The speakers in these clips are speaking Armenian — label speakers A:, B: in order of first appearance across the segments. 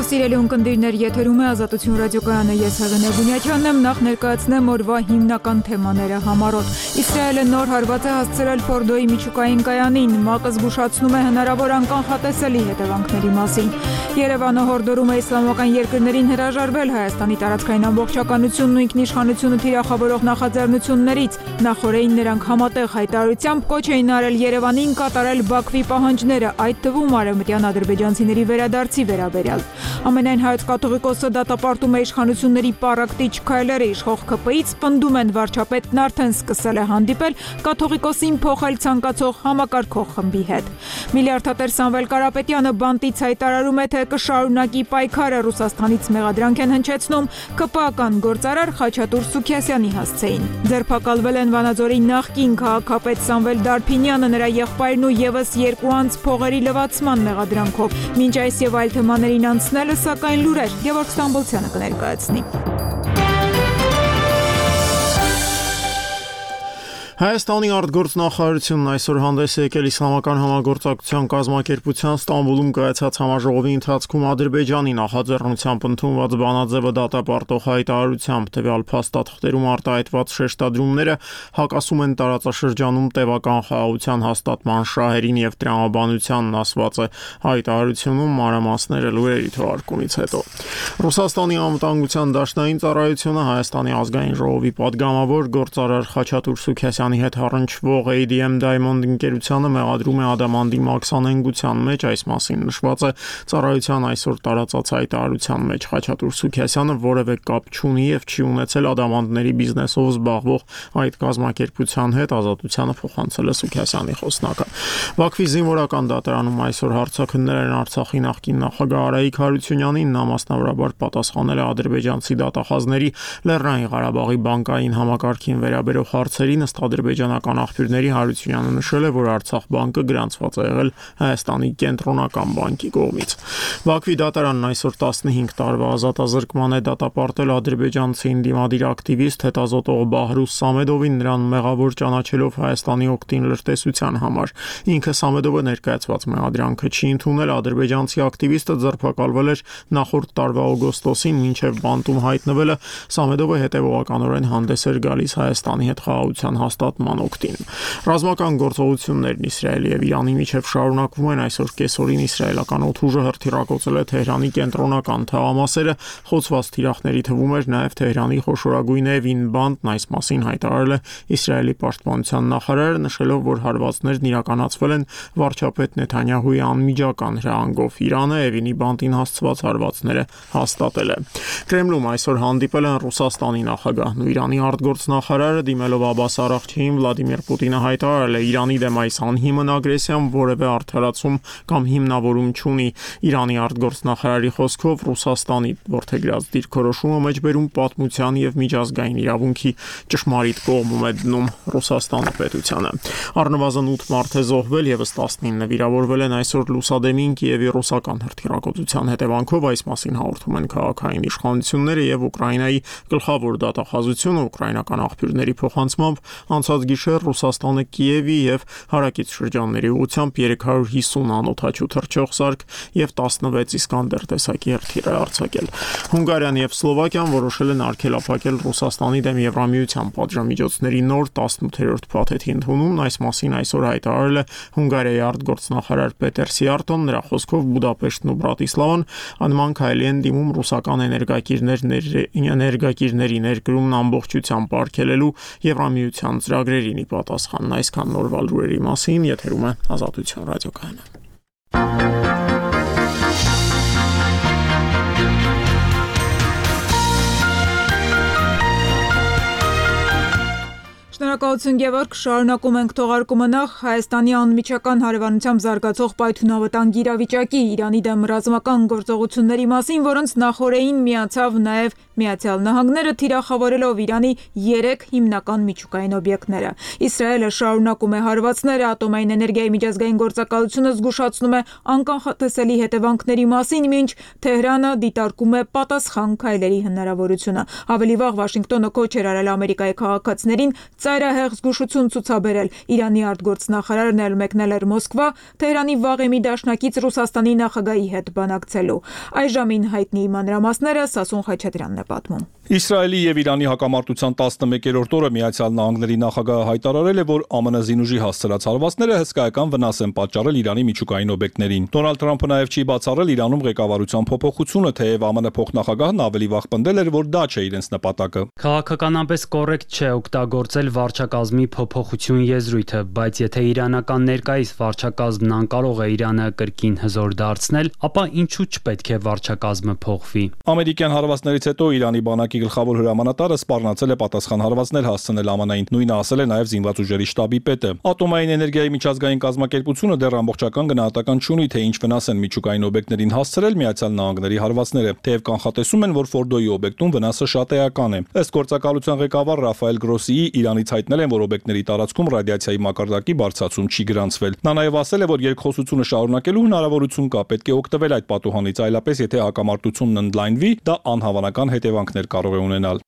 A: Սիրելի ունկնդիրներ, եթերում է Ազատություն ռադիոկայանը, ես Հեղինե Բունյաչյանն եմ, նախ ներկայացնեմ օրվա հիմնական թեմաները համառոտ։ Իսրայելը նոր հարված է հասցրել Ֆորդոյի միջուկային կայանին, ՄԱԿ-ը զգուշացնում է հնարավոր անկանխատեսելի հետևանքների մասին։ Երևանը հորդորում է իսլամական երկրներին հրաժարվել Հայաստանի տարածքային ամբողջականությունն ու ինքնիշխանությունը թիրախավորող նախաձեռնություններից։ Նախորդին նրանք համատեղ հայտարարությամբ կոչ էին արել Երևանին կատարել Բաքվի պահանջները, այդ թվում արևմտյան ադրբեջանցիների վերադարձի վերաբերյալ։ Ամենայն հայոց կաթողիկոսը դատապարտում է իշխանությունների պառակտիչ քայլերը, իշխող ՔՊ-ից պնդում են վարչապետն արդեն սկսել է հանդիպել կաթողիկոսին փոխել ցանկացող համակարգող խմբի հետ։ Միլիարդատեր Սամվել Կարապետյանը բանտից հայտարարում է, թե կշարունակի պայքարը, Ռուսաստանից մեղադրանք են հնչեցնում ԿՊԱ-ական գործարար Խաչատուր Սուքիասյանի հասցեին։ Ձերբակալվել են Վանաձորի նախկին քաղաքապետ Սամվել Դարփինյանը, նրա եղբայրն ու եւս երկու անձ փողերի լվացման մեղադրանքով։ Մինչ այս եւ այլ թեմաներին անցնելը, սակայն լուրեր Գևորգ Ստամբոլցյանը կներկայացնի։
B: Հայաստանի արտգործնախարարությունն այսօր հանդես է եկել Իսլամական համագործակցության կազմակերպության Ստամբուլում կայացած համաժողովի ընթացքում Ադրբեջանի նախաձեռնությամբ ընդունված բանաձևը դատապարտող հայտարարությամբ տվյալ փաստաթղթերում արտահայտված շեշտադրումները հակասում են տարածաշրջանում տևական խաղաղության հաստատման շահերին եւ տրամաբանությանն, ասված է հայտարարությունում, մանրամասները լուրերի թողարկումից հետո։ Ռուսաստանի անվտանգության դաշնային ծառայությունը Հայաստանի ազգային ժողովի падգամավոր գործարար Խաչատուր Սուքիասյանի հետ առնչվող ADM Diamond ընկերությանը մեղադրում է ադամանդի մաքսանենգության մեջ, այս մասին նշված է ծառայության այսօր տարածած հայտարարության մեջ։ Խաչատուր Սուքիասյանը որևէ կապ չունի եւ չի ունեցել ադամանդների բիզնեսով զբաղվող այդ կազմակերպության հետ, Ազատությանը փոխանցել է Սուքիասյանի խոսնակը։ Բաքվի զինվորական դատարանում այսօր հարցաքններ են Արցախի նախկին նախագահ Արայիկ Հարությունյանին, նա մասնավորաբար պատասխանել է ադրբեջանցի դատախազների Լեռնային Ղարաբաղի բանկային համակարգին վերաբերող հարցերին, ըստ ադրբեջանական աղբյուրների Հարությունյանը նշել է, որ Արցախ բանկը գրանցված է եղել Հայաստանի կենտրոնական բանկի կողմից։ Բաքվի դատարանն այսօր 15 տարվա ազատազրկման է դատապարտել ադրբեջանցի ընդդիմադիր ակտիվիստ հետազոտող Բահրուս Սամեդովին, նրան մեղավոր ճանաչելով Հայաստանի օգտին լրտեսության համար։ Ինքը Սամեդովը ներկայացված մեղադրանքը չի ընդունել, ադրբեջանցի ակտիվիստը ձերբակալվել էր նախորդ տարվա օգոստոսին, մինչև բանտում հայտնվելը Սամեդովը հետևողականորեն հանդես էր գալիս Հայաստանի հետ խաղաղության հաստատման օգտին։ Ռազմական գործողություններն Իսրայելի եւ Իրանի միջև շարունակվում են, այսօր կեսօրին իսրայելական օդուժը հրթիռակոծել է Թեհրանի կենտրոնական թաղամասերը, խոցված թիրախների թվում էր նաեւ Թեհրանի խոշորագույն Էվին բանտն, այս մասին հայտարարել է Իսրայելի պաշտպանության նախարարը, նշելով, որ հարվածներն իրականացվել են վարչապետ Նեթանյահուի անմիջական հրահանգով։ Իրանը Էվինի բանտին հասցված հարվածները հաստատել է։ Կրեմլում այսօր հանդիպել են Ռուսաստանի նախագահն ու Իրանի արտգործնախարարը, դիմելով Աբբաս Արաղչիին, Վլադիմիր Պուտինը հայտարարել է Իրանի դեմ այս անհիմն ագրեսիան որևէ արդարացում կամ հիմնավորում չունի։ Իրանի արտգործնախարարի խոսքով Ռուսաստանի որդեգրած դիրքորոշումը մեջբերում պատմության եւ միջազգային իրավունքի ճշմարիտ կողմում է դնում Ռուսաստանի պետությանը։ Առնվազն 8 մարդ է զոհվել, եւս 19 վիրավորվել են այսօր Լուսադեմին Կիևի ռուսական հրթիռակոծության հետևանքով, այս մասին հաղորդում են քաղաքային իշխանությունները եւ Ուկրաինայի գլխավոր դատախազությունը։ Ուկրաինական աղբյուրների փոխանցմամբ անցած գիշեր Ռուսաստանը Կիևի եւ հարակից շրջանների ուղղությամբ 350 անօդաչու թռչող սարք եւ 16 Իսկանդեր տեսակի հրթիռ է արձակել։ Հունգարիան եւ Սլովակիան որոշել են արգելափակել Ռուսաստանի դեմ Եվրամիության պատժամիջոցների նոր 18-րդ փաթեթի ընդունումն, այս մասին այսօր հայտարարել է Հունգարիայի արտգործնախարար Պետեր Սիարտոն, նրա խոսքով Բուդապեշտն ու Բրատիսլավան անման քայլի են դիմում ռուսական էներգակիրների ներկրումն ամբողջությամբ արգելելու Եվրամիության ծրագրերին ի պատասխան։ Այսքան նորվա լուրերի մասին, եթերում է Ազատություն ռադիոկայանը։
A: Շնորհակալություն Գևորգ, շարունակում ենք թողարկումը նախ Հայաստանի անմիջական հարևանությամբ զարգացող պայթյունավտանգ իրավիճակի, Իրանի դեմ ռազմական գործողությունների մասին, որոնց նախորդին միացավ նաև Միացյալ Նահանգները, թիրախավորելով Իրանի 3 հիմնական միջուկային օբյեկտները։ Իսրայելը շարունակում է հարվածները, ատոմային էներգիայի միջազգային գործակալությունը զգուշացնում է անկանխատեսելի հետևանքների մասին, մինչ Թեհրանը դիտարկում է պատասխան քայլերի հնարավորությունը։ Ավելի վաղ Վաշինգտոնը կոչ էր արել Ամերիկայի քաղաքացիներին ծայրահեղ հաղթահեղ զգուշություն ցուցաբերել։ Իրանի արտգործնախարարն էլ մեկնել էր Մոսկվա Թեհրանի վաղեմի դաշնակից Ռուսաստանի նախագահի հետ բանակցելու։ Այժմին հայտնի մանրամասները Սասուն Խաչատրյանն է պատմում։
C: Իսրայելի եւ Իրանի հակամարտության 11-րդ օրը Միացյալ Նահանգների նախագահը հայտարարել է, որ ԱՄՆ զինուժի հասցրած հարվածները հսկայական վնաս են պատճառել Իրանի միջուկային օբյեկտներին։ Դոնալդ Թրամփը նաեւ չի բացառել Իրանում ղեկավարության փոփոխությունը, թեև ԱՄՆ փոխնախագահն ավելի վաղ պնդել էր, որ դա չէ իրենց նպատակը։
D: Քաղաքականապես կոռեկտ չէ օգտագործել վարչակազմի փոփոխություն եզրույթը, բայց եթե իրանական ներկայիս վարչակազմն անկարող է Իրանը կրկին հզոր դարձնել, ապա ինչու չպետք է վարչակազմը փոխվի։
C: Ամերիկյան հարվածներից հետո Իրանի բանակի գլխավոր հրամանատարը սպառնացել է պատասխան հարվածներ հասցնել ԱՄՆ-ին։ Նույնը ասել է նաև զինված ուժերի շտաբի պետը։ Ատոմային էներգիայի միջազգային կազմակերպությունը դեռ ամբողջական գնահատական չունի, թե ինչ վնաս են միջուկային օբյեկտներին հասցրել Միացյալ Նահանգների հարվածները, թեև կանխատեսում են, որ Ֆորդոյի օբյեկտում վնասը շատ էական է։ Ըստ գործակալության ղեկավար Ռաֆայել Գրոսիի, Իրանից հայտնել են, որ օբյեկտների տարածքում ռադիացիայի մակարդակի բարձրացում չի գրանցվել։ Նա նաև ասել է, որ երկխոսությունը շարունակելու հնարավորություն կա, պետք է օգտվել այդ պատուհանից, այլապես եթե հակամարտությունն ընդլայնվի, դա անհավանական հետևանքներ կարող է ունենալ։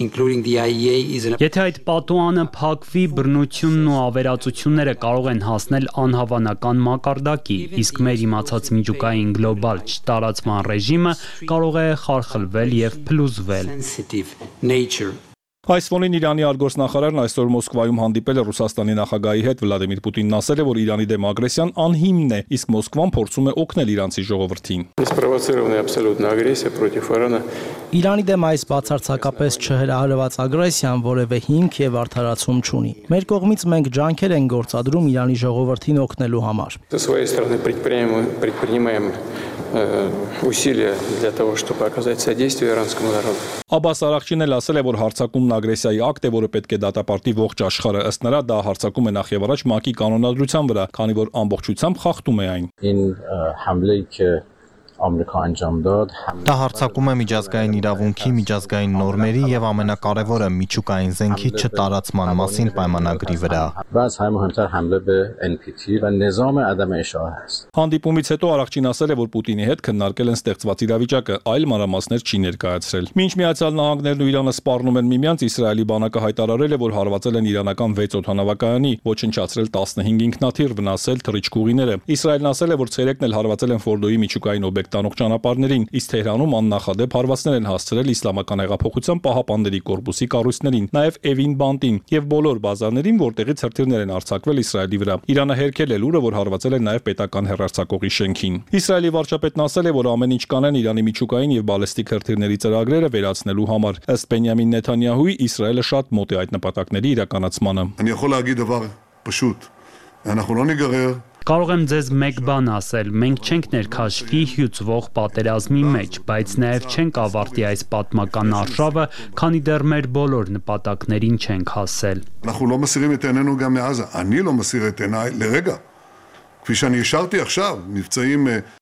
D: Եթե այդ պատուհանը փակվի, բռնությունն ու ավերածությունները կարող են հասնել անհավանական մակարդակի, իսկ մեր իմացած միջուկային գլոբալ չտարածման ռեժիմը կարող է խարխլվել եւ փլուզվել։
C: Այս ֆոնին Իրանի արտգործնախարարն այսօր Մոսկվայում հանդիպել է Ռուսաստանի նախագահի հետ։ Վլադիմիր Պուտինն ասել է, որ Իրանի դեմ ագրեսիան անհիմն է, իսկ Մոսկվան փորձում է օգնել իրանցի ժողովրդին։
E: Իրանի դեմ այս բացարձակապես չհրահրված ագրեսիան որևէ հիմք եւ արդարացում չունի։ Մեր կողմից մենք ջանքեր ենք գործադրում Իրանի ժողովրդին օգնելու համար։
C: Աբբաս Արաղչին էլ ասել է, որ հարձակումն ագրեսիայի ակտ է, որը պետք է դատապարտի ողջ աշխարհը։ Ըստ նրա, դա հարձակում է նախ եւ առաջ ՄԱԿ-ի կանոնադրության վրա, քանի որ ամբողջությամբ խախտում է այն։
F: Դա հարձակում է միջազգային իրավունքի, միջազգային նորմերի եւ ամենակարևորը միջուկային զենքի չտարածման մասին պայմանագրի վրա։
C: Հանդիպումից հետո Արաղչին ասել է, որ Պուտինի հետ քննարկել են ստեղծված իրավիճակը, այլ մանրամասներ չի ներկայացրել։ Մինչ Միացյալ Նահանգներն ու Իրանը սպառնում են միմյանց, Իսրայելի բանակը հայտարարել է, որ հարվածել են իրանական 6 օդանավակայանի, ոչնչացրել 15 ինքնաթիռ, վնասել թռիչքուղիները։ Իսրայելն ասել է, որ ցերեկն էլ հարվածել են Ֆորդոյի միջուկային օբյեկտ տանող ճանապարհներին, իսկ Թեհրանում աննախադեպ հարվածներ են հասցրել Իսլամական հեղափոխության պահապանների կորպուսի կառույցներին, նաև Էվին բանտին եւ բոլոր բազարներին, որտեղից հրթիռներ են արձակվել Իսրայելի վրա։ Իրանը հերքել է լուրը, որ հարվածել է նաև պետական հեռարձակողի շենքին։ Իսրայելի վարչապետն ասել է, որ ամեն ինչ կանեն Իրանի միջուկային եւ բալեստիկ հրթիռների ծրագրերը վերացնելու համար։ Ըստ Բենյամին Նեթանյահուի, Իսրայելը շատ մոտ է այդ նպատակների իրականացմանը։
D: Կարող եմ ձեզ մեկ բան ասել, մենք չենք ներքաշվի հյուծվող պատերազմի մեջ, բայց նաև չենք ավարտի այս պատմական արշավը, քանի դեռ մեր բոլոր նպատակներին չենք հասել։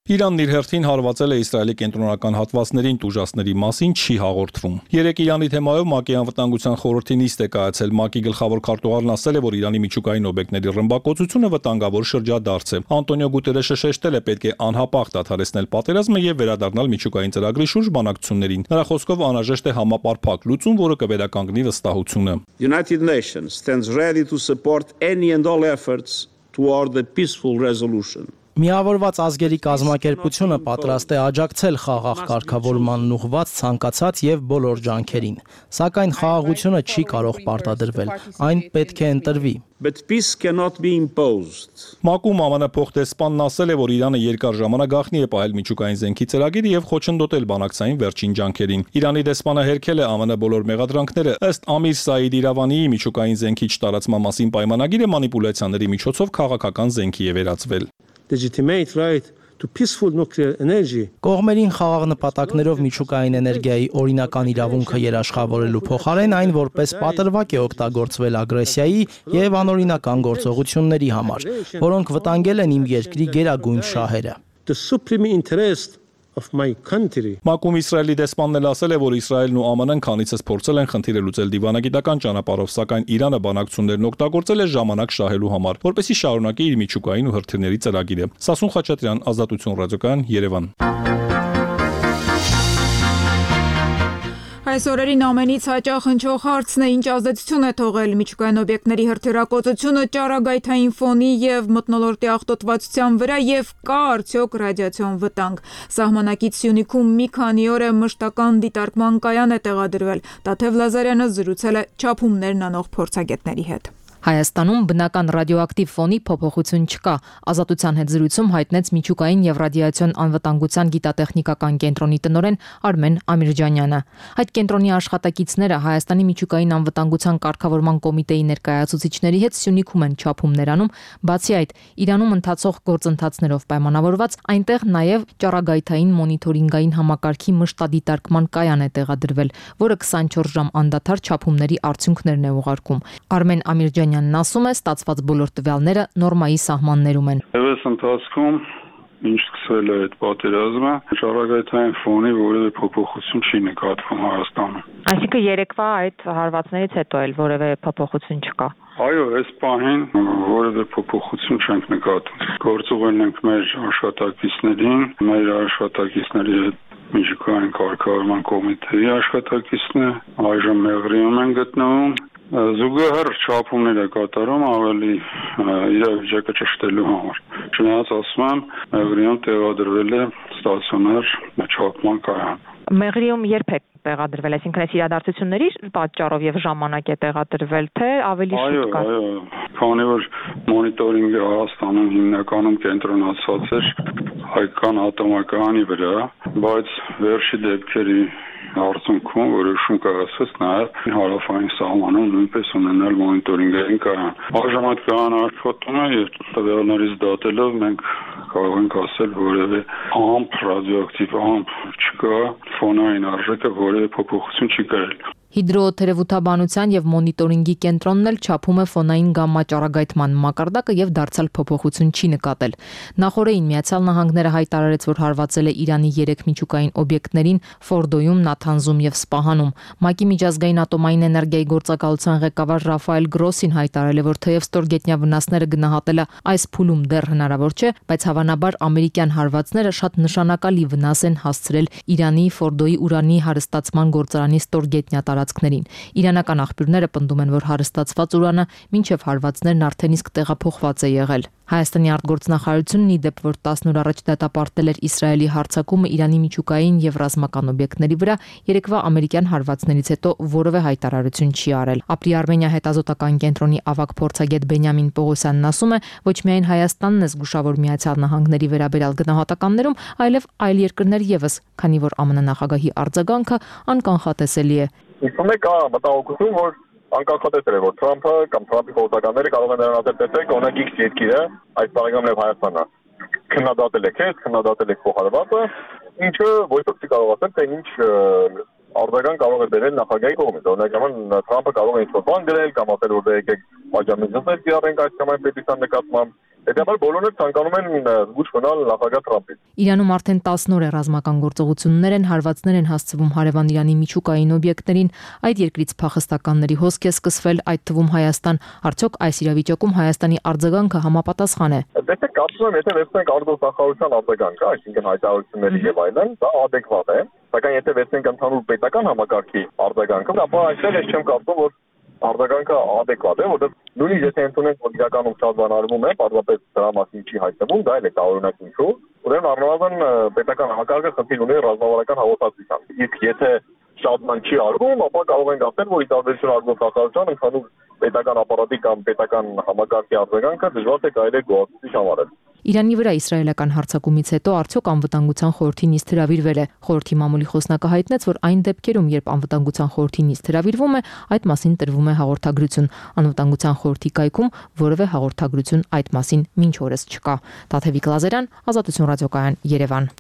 C: Իրանն իր հերթին հարվածել է Իսրայելի կենտրոնական հատվածներին, տուժածների մասին չի հաղորդվում։ Երեկ Իրանի թեմայով ՄԱԿ-ի անվտանգության խորհրդի նիստ է կայացել։ ՄԱԿ-ի գլխավոր քարտուղարն ասել է, որ Իրանի միջուկային օբյեկտների ռմբակոծությունը վտանգավոր շրջադարձ է։ Անտոնիո Գուտերեշը շեշտել է, պետք է անհապաղ դադարեցնել պատերազմը եւ վերադառնալ միջուկային ծրագրի շուրջ բանակցություններին։ Նրա խոսքով անհրաժեշտ է համապարփակ լուծում, որը կվերականգնի վստահությունը։
G: United Nations stands ready to support any and all efforts toward the peaceful resolution.
E: Միավորված ազգերի կազմակերպությունը պատրաստ է աջակցել խաղաղ կարգավորմանն ուղղված ցանկացած եւ բոլոր ջանքերին, սակայն խաղաղությունը չի կարող պարտադրվել, այն պետք է ընտրվի։
G: But peace cannot be imposed.
C: ՄԱԿ-ում ԱՄՆ փոխտեսպանն ասել է, որ Իրանը երկար ժամանակ գաղտնի է պահել միջուկային զենքի ծրագիրը եւ խոչընդոտել բանակցային վերջին ջանքերին։ Իրանի դեսպանը հերքել է ԱՄՆ բոլոր մեղադրանքները։ Ըստ Ամիր Սաիդ Իրավանիի, միջուկային զենքի չտարածման մասին պայմանագիրը մանիպուլյացիաների միջոցով քաղաքական զենքի է վերածվել։
G: Legitimate right to peaceful nuclear energy.
E: Կողմերին խաղաղ նպատակներով միջուկային էներգիայի օրինական իրավունքը երաշխավորելու փոխարեն այն որպես պատրվակ է օգտագործվել ագրեսիայի եւ անօրինական գործողությունների համար, որոնք վտանգել են իմ երկրի գերագույն շահերը։
G: The supreme interest of my country.
C: ՄԱԿ-ում Իսրայելի դեսպանն էլ ասել է, որ Իսրայելն ու ԱՄՆ-ն քանիցս փորձել են խնդիրը լուծել դիվանագիտական ճանապարհով, սակայն Իրանը բանակցություններն օգտագործել է ժամանակ շահելու համար, որպեսզի շարունակի իր միջուկային ու հրթիռների ծրագիրը։ Սասուն Խաչատրյան, Ազատություն ռադիոկայան, Երևան։
A: Այս օրերին ամենից հաճախ հնչող հարցն է, ինչ ազդեցություն է թողել միջուկային օբյեկտների հրթիռակոծությունը ճառագայթային ֆոնի եւ մթնոլորտի աղտոտվածության վրա եւ կա արդյոք ռադիացիոն վտանգ։ Սահմանակից Սյունիքում մի քանի օր է մշտական դիտարկման կայան է տեղադրվել։ Տաթև Լազարյանը զրուցել է չափումներն անող փորձագետների հետ։
H: Հայաստանում բնական ռադիոակտիվ ֆոնի փոփոխություն չկա, Ազատության հետ զրույցում հայտնեց միջուկային եւ ռադիացիոն անվտանգության գիտատեխնիկական կենտրոնի տնօրեն Արմեն Ամիրջանյանը։ Այդ կենտրոնի աշխատակիցները Հայաստանի միջուկային անվտանգության կարգավորման կոմիտեի ներկայացուցիչների հետ Սյունիքում են չափումներ անում, բացի այդ, Իրանում ընթացող գործընթացներով պայմանավորված այնտեղ նաեւ ճառագայթային մոնիթորինգային համակարգի մշտադիտարկման կայան է տեղադրվել, որը 24 ժամ անդադար չափումների արդյունքներն է ուղարկում։ Արմեն Ամիրջանյանն ասում է, ստացված բոլոր տվյալները նորմայի սահմաններում են։
I: Այս ընթացքում ինչ սկսվել է այդ պատերազմը, ճառագայթային ֆոնի որևէ փոփոխություն չի նկատվում Հայաստանում։
J: Այսինքն երեկվա այդ հարվածներից հետո էլ որևէ փոփոխություն չկա։
I: Այո, այս պահին որևէ փոփոխություն չենք նկատում։ Գործուղել ենք մեր աշխատակիցներին, մեր աշխատակիցների հետ միջուկային կարգավորման կոմիտեի աշխատակիցն է, այժմ Մեղրիում են գտնվում։ Զուգահեռ չափումներ է կատարում ավելի իրավիճակը ճշտելու համար։ Չնայած ասում եմ, Մեղրիում տեղադրվել է ստացիոնար չափման կայան։
J: Մեղրիում երբ է տեղադրվել, այսինքն այս իրադարձությունների պատճառով եւ ժամանակ է տեղադրվել, թե ավելի շուտ կա։
I: Այո, քանի որ մոնիտորինգը Հայաստանում հիմնականում կենտրոնացած էր հայկական ատոմակայանի վրա, բայց վերջի դեպքերի արդյունքում որոշում կայացվեց նաև հարավային սահմանում նույնպես ունենալ մոնիտորինգային կայան։ Այժմ այդ կայանը աշխատում է եւ տվյալներից դատելով մենք կարող ենք ասել որևէ ամփ ռադիոակտիվ ամփ չկա, ֆոնային արժեքը որևէ փոփոխություն չի կրել։
H: Հիդրոթերապևտաբանության եւ մոնիտորինգի կենտրոնն էլ չափում է ֆոնային գամմա ճառագայթման մակարդակը եւ դարձյալ փոփոխություն չի նկատել։ Նախորդին Միացյալ Նահանգները հայտարարեց, որ հարվածել է Իրանի 3 միջուկային օբյեկտներին Ֆորդոյում, Նաթանզում եւ Սպահանում։ ՄԱԿ-ի միջազգային ատոմային էներգիայի գործակալության ղեկավար Ռաֆայել Գրոսին հայտարարել է, որ թեև ստորգետնյա վնասները գնահատելը այս փուլում դեռ հնարավոր չէ, բայց հավանաբար ամերիկյան հարվածները շատ նշանակալի վնաս են հասցրել Իրանի Ֆորդոյի ուրանի հարստացման գործարանի ստորգետնյա տարածքներին։ Իրանական աղբյուրները պնդում են, որ հարստացված ուրանը մինչև հարվածներն արդեն իսկ տեղափոխված է եղել։ Հայաստանի արտգործնախարարությունն ի դեպ, որ 10 օր առաջ դատապարտել էր Իսրայելի հարձակումը Իրանի միջուկային եւ ռազմական օբյեկտների վրա, երեկվա ամերիկյան հարվածներից հետո որևէ հայտարարություն չի արել։ Ապրի Արմենիա հետազոտական կենտրոնի ավագ փորձագետ Բենյամին Պողոսյանն ասում է, ոչ միայն Հայաստանն է զգուշավոր Միացյալ Նահանգների վերաբերյալ գնահատականներում, այլև այլ երկրներ եւս, քանի որ ԱՄՆ նախագահի արձագանքը անկանխատեսելի է։
K: Իսկում է կա մտահոգություն, որ անկախատեսել է, որ Թրամփը կամ Թրամփի խորհրդականները կարող են նրան տեսնել օրինակ X երկիրը, այս բարեկամն եւ Հայաստանը քննադատել է քեզ, քննադատել է փոխարվածը, ինչը ոչ ոք չի կարող ասել, թե ինչ արձագանք կարող է բերել նախագահի կողմից։ Օրինակ Թրամփը կարող է ինչ-որ բան գրել կամ ասել, որ դե եկեք պատժամիջոցներ կիրառենք այս կամ այն պետության նկատմամբ։ Հետևաբար բոլորը ցանկանում են զգուշ մնալ նախագահ Թրամփից։
H: Իրանում արդեն 10 օր է ռազմական գործողություններ են, հարվածներ են հասցվում հարևան Իրանի միջուկային օբյեկտներին, այդ երկրից փախստականների հոսք է սկսվել, այդ թվում Հայաստան։ Արդյոք այս իրավիճակում Հայաստանի արձագանքը համապատասխան է։
K: Դե կարծում եմ, եթե վերցնենք արտգործնախարարության արձագանքը, այսինքն հայտարարությունների եւ այլն, դա adekvat է, սակայն եթե վերցնենք ընդհանուր պետական համակարգի արձագանքը, ապա այստեղ ես չեմ կարծում, որ արձագանքը adekvat է, որովհետեւ նույնիսկ եթե ընդունենք, որ իրականում շատ բան արվում է, պարզապես դրա մասին չի հայտնվում, դա էլ է տարօրինակ ինչու։ Ուրեմն առնվազն պետական համակարգը խնդիր ունի ռազմավարական հաղորդակցությամբ։ Իսկ եթե շատ բան չի արվում, ապա կարող ենք ասել, որ ի տարբերություն արտգործնախարարության ընդհանուր պետական ապարատի կամ պետական համակարգի արձագանքը դժվար թե կարելի է գոհացուցիչ համարել։
H: Իրանի վրա իսրայելական հարձակումից հետո արդյոք անվտանգության խորհրդի նիստ հրավիրվել է։ Խորհրդի մամուլի խոսնակը հայտնեց, որ այն դեպքերում, երբ անվտանգության խորհրդի նիստ հրավիրվում է, այդ մասին տրվում է հաղորդագրություն։ Անվտանգության խորհրդի կայքում որևէ հաղորդագրություն այդ մասին մինչ օրս չկա։ Տաթևիկ Լազարյան, Ազատություն ռադիոկայան, Երևան։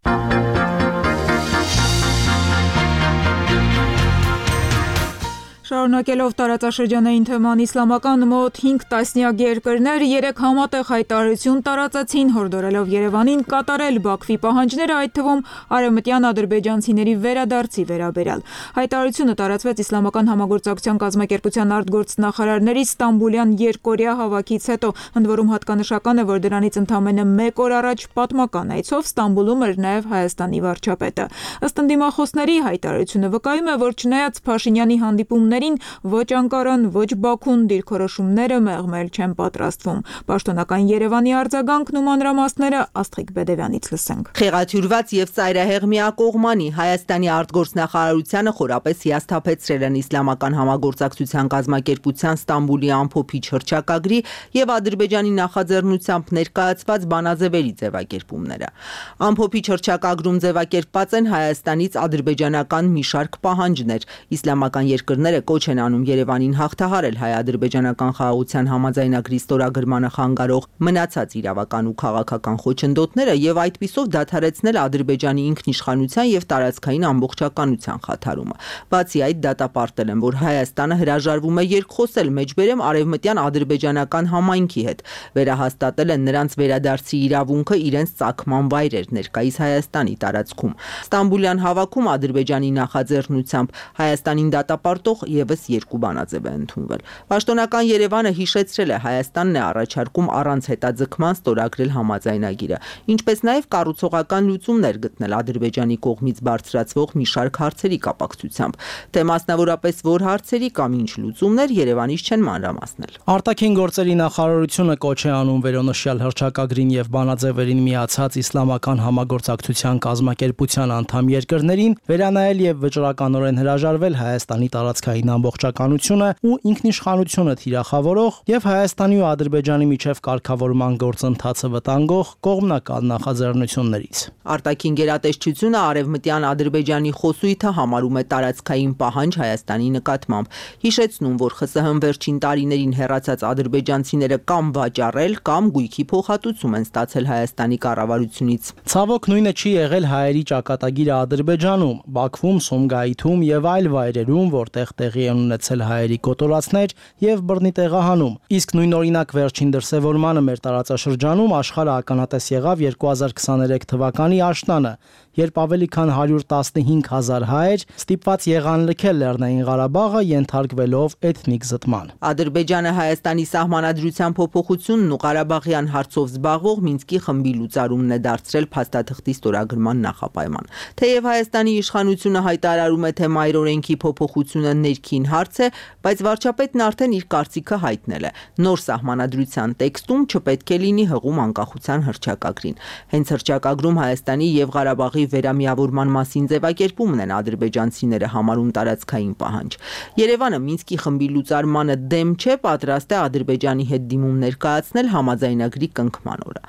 A: Շարունակելով տարածաշրջանային թեման, իսլամական մոտ 5 տասնյակ երկրներ 3 համատեղ հայտարարություն տարածեցին, հորդորելով Երևանին կատարել Բաքվի պահանջները, այդ թվում արևմտյան ադրբեջանցիների վերադարձի վերաբերյալ։ Հայտարարությունը տարածվեց Իսլամական համագործակցության կազմակերպության արտգործնախարարների Ստամբուլյան երկօրյա հավաքից հետո, ընդ որում հատկանշական է, որ դրանից ընդամենը 1 օր առաջ պատմական այցով Ստամբուլում էր նաև Հայաստանի վարչապետը։ Ըստ ընդդիմախոսների հայտարարությունը վկայում է, որ չնայած Փաշինյանի հանդիպումներին ոչ Անկարան, ոչ Բաքուն դիրքորոշումները մեղմել չեն պատրաստվում։ Պաշտոնական Երևանի արձագանքն ու մանրամասները Աստղիկ Բեդևյանից լսենք։
L: Խեղաթյուրված եւ ծայրահեղ միակողմանի Հայաստանի արտգործնախարարությանը խորապես հիասթափեցրել են Իսլամական համագործակցության կազմակերպության Ստամբուլի ամփոփիչ հռչակագրի եւ Ադրբեջանի նախաձեռնությամբ ներկայացված բանաձևերի ձևակերպումները։ Ամփոփիչ հռչակագրում ձևակերպված են Հայաստանից ադրբեջանական մի շարք պահանջներ։ Իսլամական երկրները կոչ են անում Երևանին հաղթահարել հայ-ադրբեջանական խաղաղության համաձայնագրի ստորագրմանը խանգարող մնացած իրավական ու քաղաքական խոչընդոտները եւ այդպիսով դադարեցնել Ադրբեջանի ինքնիշխանության եւ տարածքային ամբողջականության խաթարումը։ Բացի այդ, դատապարտել են, որ Հայաստանը հրաժարվում է երկխոսել մեջբերեմ արևմտյան ադրբեջանական համայնքի հետ, վերահաստատել են նրանց վերադարձի իրավունքը իրենց ծագման վայրեր ներկայիս Հայաստանի տարածքում։ Ստամբուլյան հավաքում Ադրբեջանի նախաձեռնությամբ Հայաստանին դատապարտող եւս 2 բանաձև է ընդունվել։ Պաշտոնական Երևանը հիշեցրել է, Հայաստանն է առաջարկում առանց հետաձգման ստորագրել համաձայնագիրը, ինչպես նաեւ կառուցողական լուծումներ գտնել Ադրբեջանի կողմից բարձրացվող մի շարք հարցերի կապակցությամբ, թե մասնավորապես որ հարցերի կամ ինչ լուծումներ Երևանից չեն մանրամասնել։
E: Արտաքին գործերի նախարարությունը կոչ է անում վերոնշյալ հռչակագրին եւ բանաձևերին միացած Իսլամական համագործակցության կազմակերպության անդամ երկրներին վերանայել եւ վճռականորեն հրաժարվել Հայաստանի տարածքային ամբողջականությունը ու ինքնիշխանությունը թիրախավորող եւ Հայաստանի ու Ադրբեջանի միջև կարգավորման գործընթացը վտանգող կողմնակալ նախաձեռնություններից։
L: Արտաքին գերատեսչությունը արևմտյան Ադրբեջանի խոսույթը համարում է տարածքային պահանջ Հայաստանի նկատմամբ, հիշեցնում, որ ԽՍՀՄ վերջին տարիներին հեռացած ադրբեջանցիները կամ վաճառել կամ գույքի փոխհատուցում են ստացել Հայաստանի կառավարությունից։
E: Ցավոք նույնը չի եղել հայերի ճակատագիրը Ադրբեջանում, Բաքվում, Սումգայիթում եւ այլ վայրերում, որտեղ տեղի են ունեցել հայերի կոտորածներ եւ բռնի տեղահանում։ Իսկ նույն օրինակ վերջին դրսևորմանը մեր տարածաշրջանում աշխարհը ականատես եղավ 2023 թվականի աշնանը, երբ ավելի քան 115,000 հայեր ստիպված եղան լքել Լեռնային Ղարաբաղը, ենթարկվելով էթնիկ զտման։
L: Ադրբեջանը Հայաստանի սահմանադրության փոփոխությունն ու Ղարաբաղյան հարցով զբաղվող Մինսկի խմբի լուծարումն է դարձրել փաստաթղթի ստորագրման նախապայման։ Թեև Հայաստանի իշխանությունը հայտարարում է, թե մայրօրենքի փոփոխությունը ներքին հարց է, բայց վարչապետն արդեն իր կարծիքը հայտնել է։ Նոր սահմանադրության տեքստում չպետք է լինի հղում անկախության հռչակագրին։ Հենց հռչակագրում Հայաստանի եւ Ղարաբաղի վերամիավորման մասին ձևակերպումն են ադրբեջանցիները համարում տարածքային պահանջ։ Երևանը Մինսկի խմբի լուծարմանը դեմ չէ, պատրաստ է Ադրբեջանի հետ դիմում ներկայացնել համաձայնագրի կնքման օրը։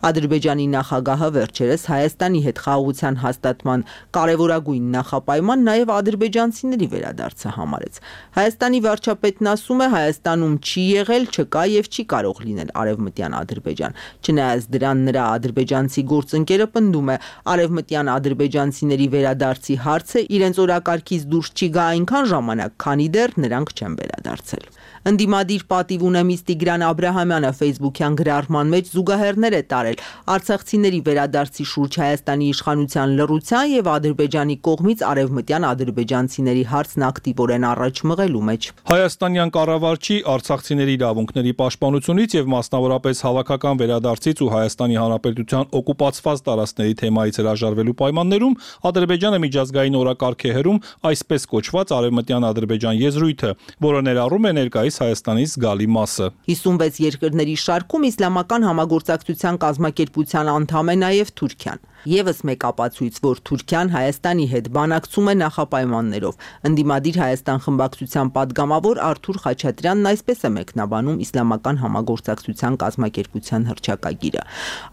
L: Ադրբեջանի նախագահը վերջերս Հայաստանի հետ խաղաղության հաստատման կարևորագույն նախապայման նաև ադրբեջանցիների վերադարձը համարեց։ Հայաստանի վարչապետն ասում է, Հայաստանում չի եղել, չկա եւ չի կարող լինել արևմտյան Ադրբեջան։ Չնայած դրան, նրա ադրբեջանցի գործընկերը պնդում է, արևմտյան ադրբեջանցիների վերադարձի հարցը իրենց օրակարգից դուրս չի գա այնքան ժամանակ, քանի դեռ նրանք չեն վերադարձել։ Ընդդիմադիր պատիվ ունեմից Տիգրան Աբրահամյանը Facebook-յան գրառման մեջ զուգահեռներ է տարել արցախցիների վերադարձի շուրջ Հայաստանի իշխանության լռության եւ Ադրբեջանի կողմից արևմտյան ադրբեջանցիների հարցն ակտիվորեն առաջ մղելու մեջ։
C: Հայաստանյան կառավարչի արցախցիների իրավունքների պաշտպանությունից եւ մասնավորապես հավաքական վերադարձից ու Հայաստանի Հանրապետության օկուպացված տարածքների թեմայից հրաժարվելու պայմաններում Ադրբեջանը միջազգային օրակարգ է հրում այսպես կոչված արևմտյան Ադրբեջան եզրույթը, որը ներառում է ներկայիս Հայաստանից զգալի մասը։
L: 56 երկրների շարքում Իսլամական համագործակցության կազմակերպության անդամ է նաև Թուրքիան։ Եվս մեկ ապացույց, որ Թուրքիան Հայաստանի հետ բանակցում է նախապայմաններով։ Ընդդիմադիր Հայաստան խմբակցության падգամավոր Արթուր Խաչատրյանն այսպես է մեկնաբանում Իսլամական համագործակցության կազմակերպության հռչակագիրը։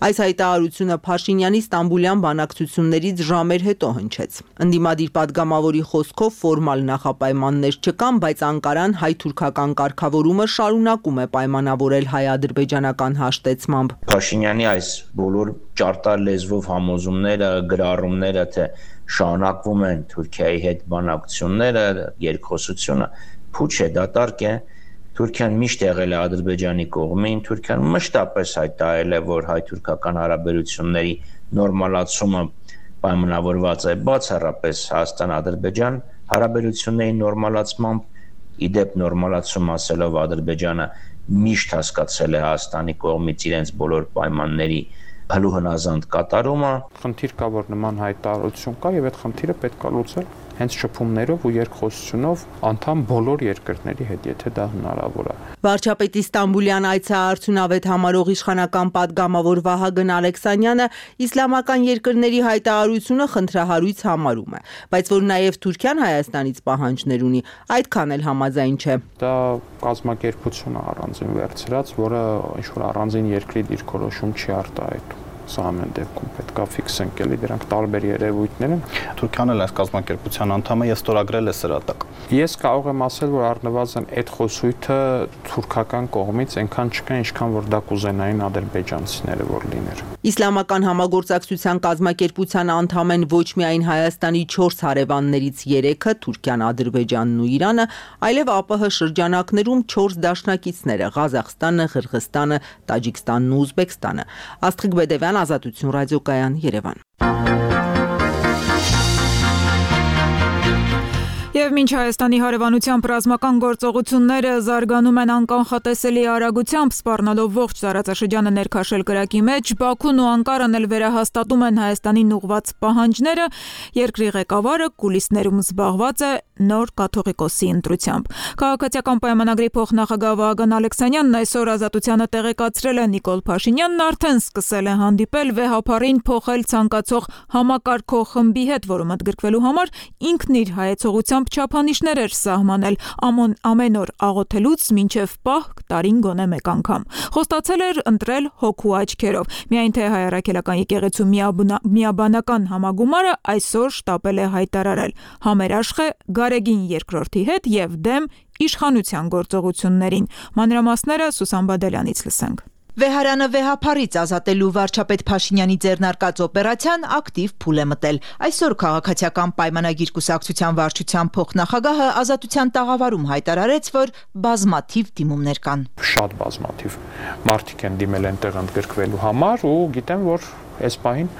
L: Այս հայտարարությունը Փաշինյանի Ստամբուլյան բանակցություններից ժամեր հետո հնչեց։ Ընդդիմադիր падգամավորի խոսքով ֆորմալ նախապայմաններ չկան, բայց Անկարան հայ-թուրքական կարգավորումը շարունակում է պայմանավորել հայ-ադրբեջանական հաշտեցմամբ։
M: Փաշինյանի այս բոլոր ճարտար լեզվով համոզումները, գրառումները, թե շարունակվում են Թուրքիայի հետ բանակցությունները, երկխոսությունը, փուչ է, դատարկ է։ Թուրքիան միշտ եղել է Ադրբեջանի կողմին, Թուրքիան մշտապես հայտարարել է, որ հայ-թուրքական հարաբերությունների նորմալացումը պայմանավորված է բացառապես Հայաստան-Ադրբեջան հարաբերությունների նորմալացմամբ, իդեպ նորմալացում ասելով Ադրբեջանը միշտ հասկացել է Հայաստանի կողմից իրենց բոլոր պայմանների հլուհնազանդ կատարումը։
N: Խնդիր կա, որ նման հայտարարություն կա եւ այդ խնդիրը պետք է լուծել հենց շփումներով ու երկխոսությունով անդամ բոլոր երկրների հետ, եթե դա հնարավոր է։
L: Վարչապետի Ստամբուլյան այցը արդյունավետ համարող իշխանական պատգամավոր Վահագն Ալեքսանյանը իսլամական երկրների հայտարարությունը խնդրահարույց համարում է, բայց որ նաև Թուրքիան Հայաստանից պահանջներ ունի, այդքան էլ համաձայն չէ։
N: Դա կազմակերպություն է առանձին վերցրած, որը ինչ-որ առանձին երկրի դիրքորոշում չի արտահայտում։ Սա ամեն դեպքում պետք է ֆիքսենք, էլի դրանք տարբեր երևույթներ են։
F: Թուրքիան էլ այս կազմակերպության անդամ է, ես ստորագրել է սրա տակ։
N: Ես կարող եմ ասել, որ առնվազն այդ խոսույթը թուրքական կողմից այնքան չկա, ինչքան որ դա կուզենային ադրբեջանցիները որ լիներ։
L: Իսլամական համագործակցության կազմակերպության անդամ են ոչ միայն Հայաստանի 4 հարևաններից 3-ը՝ Թուրքիան, Ադրբեջանն ու Իրանը, այլև ԱՊՀ շրջանակներում 4 դաշնակիցները՝ Ղազախստանը, Ղրղստանը, Տաջիկստանն ու Ուզբեկստանը։ Աստղիկ Բեդևյան, Ազատություն ռադիոկայան, Երևան։
A: Եվ մինչ Հայաստանի հարևանությամբ ռազմական գործողությունները զարգանում են անկանխատեսելի արագությամբ, սպառնալով ողջ տարածաշրջանը ներքաշել կրակի մեջ, Բաքուն ու Անկարան էլ վերահաստատում են Հայաստանին ուղղված պահանջները, երկրի ղեկավարը կուլիսներում զբաղված է նոր կաթողիկոսի ընտրությամբ։ Քաղաքացիական պայմանագրի փոխնախագահ Վահագն Ալեքսանյանն այսօր Ազատությանը տեղեկացրել է Նիկոլ Փաշինյանն արդեն սկսել է հանդիպել վեհապարին փոխել ցանկացող համակարգող խմբի հետ, որում ընդգրկվելու համար ինքն իր հայեցողությամբ չափանիշներ էր սահմանել ամեն օր աղոթելուց մինչև պահ տարին գոնե մեկ անգամ։ Խոստացել էր ընտրել հոգու աչքերով։ Միայն թե հայ առաքելական եկեղեցու միաբանական համագումարը այսօր շտապել է հայտարարել համերաշխ է Գարեգին II հետ եւ դեմ իշխանության գործողություններին։ Մանրամասները Սուսան Բադալյանից լսենք։
O: Վեհարանը վեհապարից ազատելու վարչապետ Փաշինյանի ձեռնարկած օպերացիան ակտիվ փուլ է մտել։ Այսօր քաղաքացիական պայմանագիր կուսակցության վարչության փոխնախագահը Ազատության տաղավարում հայտարարեց, որ բազմաթիվ դիմումներ կան։
N: Շատ բազմաթիվ մարդիկ են դիմել այնտեղ ընդգրկվելու համար ու գիտեմ, որ այս պահին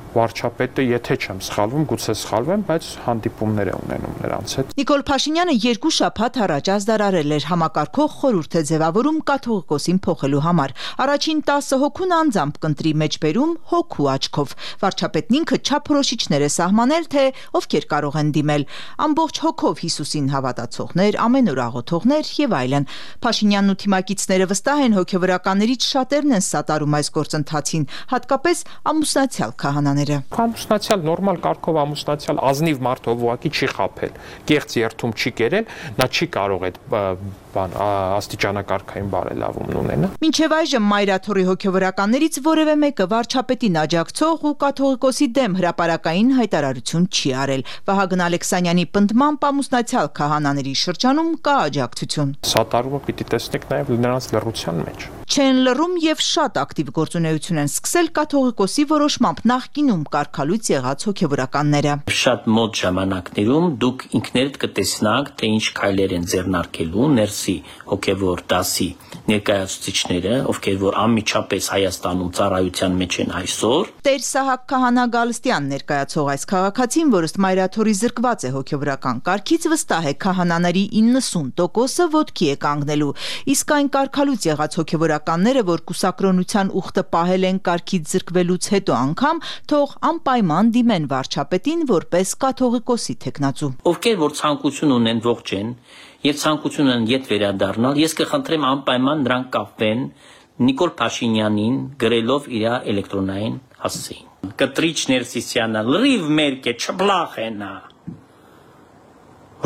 N: վարչապետը, եթե չեմ սխալվում, գուցե սխալվեմ, բայց հանդիպումներ է ունենում նրանց հետ։
O: Նիկոլ Փաշինյանը 2 շաբաթ առաջ ազդարարել էր համակարգող խորհուրդ է ձևավորում կաթողիկոսին փոխելու համար։ Առաջին 10 հոգուն անձամբ կընտրի մեջբերում հոգու աչքով։ Վարչապետն ինքը չափորոշիչներ է սահմանել, թե ովքեր կարող են դիմել։ Ամբողջ հոգով Հիսուսին հավատացողներ, ամեն օր աղոթողներ եւ այլն։ Փաշինյանն ու թիմակիցները վստահ են, հոգեվորականներից շատերն են սատարում այս գործընթացին, հատկապես ամուսնացյալ քահանաները։
N: Ամուսնացյալ նորմալ կարգով ամուսնացյալ ազնիվ մարդը ուղղակի չի խաբել, կեղծ երթում չի կերել, նա չի կարող այդ աստիճանակարգային բարելավում ունենա։
O: Մինչև այժմ Մայրաթորի հոգևորականներից որևէ մեկը վարչապետին աջակցող ու կաթողիկոսի դեմ հրապարակային հայտարարություն չի արել։ Վահագն Ալեքսանյանի պնդմամբ ամուսնացյալ քահանաների շրջանում կա աջակցություն։
N: Սատարումը պիտի տեսնեք նաև նրանց լռության մեջ։
O: Չեն լռում եւ շատ ակտիվ գործունեություն են սկսել կաթողիկոսի որոշմամբ նախկինում կարգալույց եղած հոգևորականները։
P: Շատ մոտ ժամանակներում դուք ինքներդ կտեսնաք, թե ինչ քայլեր են ձեռնարկելու ներսի հոգևոր դասի ներկայացուցիչները, ովքեր որ անմիջապես Հայաստանում ծառայության մեջ են այսօր։
O: Տեր Սահակ Քահանա Գալստյան ներկայացող այս քաղաքացին, որը Մայրաթորի զրկված է հոգևորական կարգից, վստահ է քահանաների 90%-ը ոտքի է կանգնելու, իսկ այն կարգալույց եղած հոգևորականները, որ կուսակրոնության ուխտը պահել են կարգից զրկվելուց հետո անգամ, թող անպայման դիմեն վարչապետին որպես կաթողիկոսի թեկնածու։
P: Ովքեր որ ցանկություն ունեն ողջ են եւ ցանկություն ունեն ետ վերադառնալ, ես կխնդրեմ անպայման նրանք կապվեն Նիկոլ Փաշինյանին գրելով իր էլեկտրոնային հասցեին։ Կտրիչ Ներսիսյանը լրիվ մերկ է, չբլախ է նա,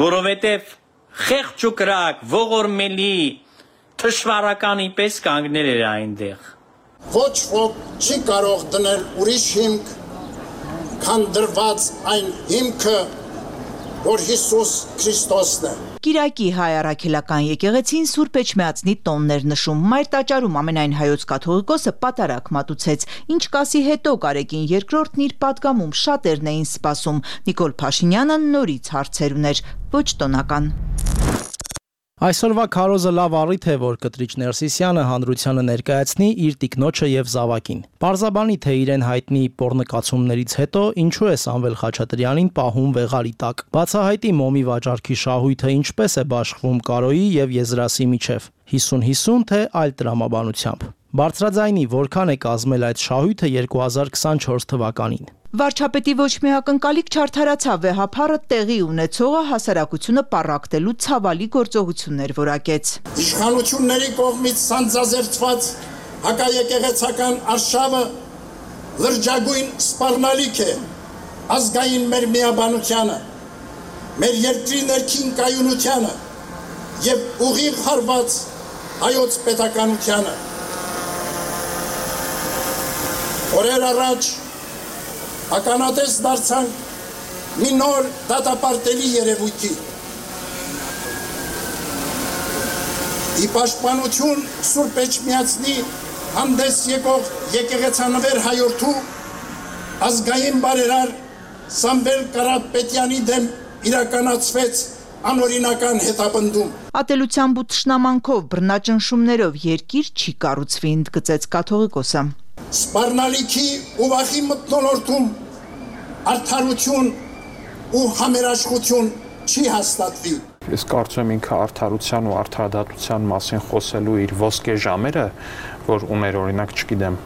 P: որովհետև խեղճ ու կրակ ողորմելի թշվառականի պես կանգնել էր այնտեղ։
Q: Ոչ ոք չի կարող դնել ուրիշ հիմք, քան դրված այն հիմքը, որ Հիսուս Քրիստոսն է։
O: Կիրակի հայ առաքելական եկեղեցին Սուրբ Էջմիածնի տոններ նշում։ Մայր տաճարում ամենայն հայոց կաթողիկոսը պատարագ մատուցեց։ Ինչ կասի հետո Կարեգին II-ն իր պատգամում շատերն էին սպասում։ Նիկոլ Փաշինյանը նորից հարցեր ուներ, ոչ տոնական։
E: Այսօրվա քարոզը լավ առիթ է, որ կտրիչ Ներսիսյանը հանրությանը ներկայացնի իր տիկնոջը եւ զավակին։ Պարզաբանի, թե իրեն հայտնի պոռնկացումներից հետո ինչու է Սամվել Խաչատրյանին պահում վեղարի տակ։ Բացահայտի մոմի վաճառքի շահույթը ինչպես է բաշխվում Կարոյի եւ Եզրասի միջև։ 50-50 թե այլ տրամաբանությամբ։ Բարձրաձայնի որքան է կազմել այդ շահույթը 2024 թվականին։
O: Վարչապետի ոչ մի ակնկալիք չարդարացավ վեհափառը տեղի ունեցողը հասարակությունը պառակտելու ցավալի գործողություններ որակեց։
Q: Իշխանությունների կողմից սանձազերծված հակաեկեղեցական արշավը լրջագույն սպառնալիք է ազգային մեր միաբանությանը, մեր երկրի ներքին կայունությանը եւ ուղիղ հարված հայոց պետականությանը։ Օրեր առաջ ականատես դարձանք մի նոր դատապարտելի երևույթի։ Ի պաշտպանություն Սուրբ Էջմիածնի հանդես եկող եկեղեցանվեր հայորդու ազգային բարերար Սամվել Կարապետյանի դեմ իրականացվեց անօրինական հետապնդում։
O: Ատելությամբ ու թշնամանքով բռնաճնշումներով երկիր չի կառուցվի, ընդգծեց կաթողիկոսը։
Q: Սպառնալիքի ու վախի մթնոլորտում արդարություն ու համերաշխություն չի հաստատվի։
N: Ես կարծում եմ ինքը արդարության ու արդարադատության մասին խոսելու իր ոսկե ժամերը, որ ուներ օրինակ, չգիտեմ,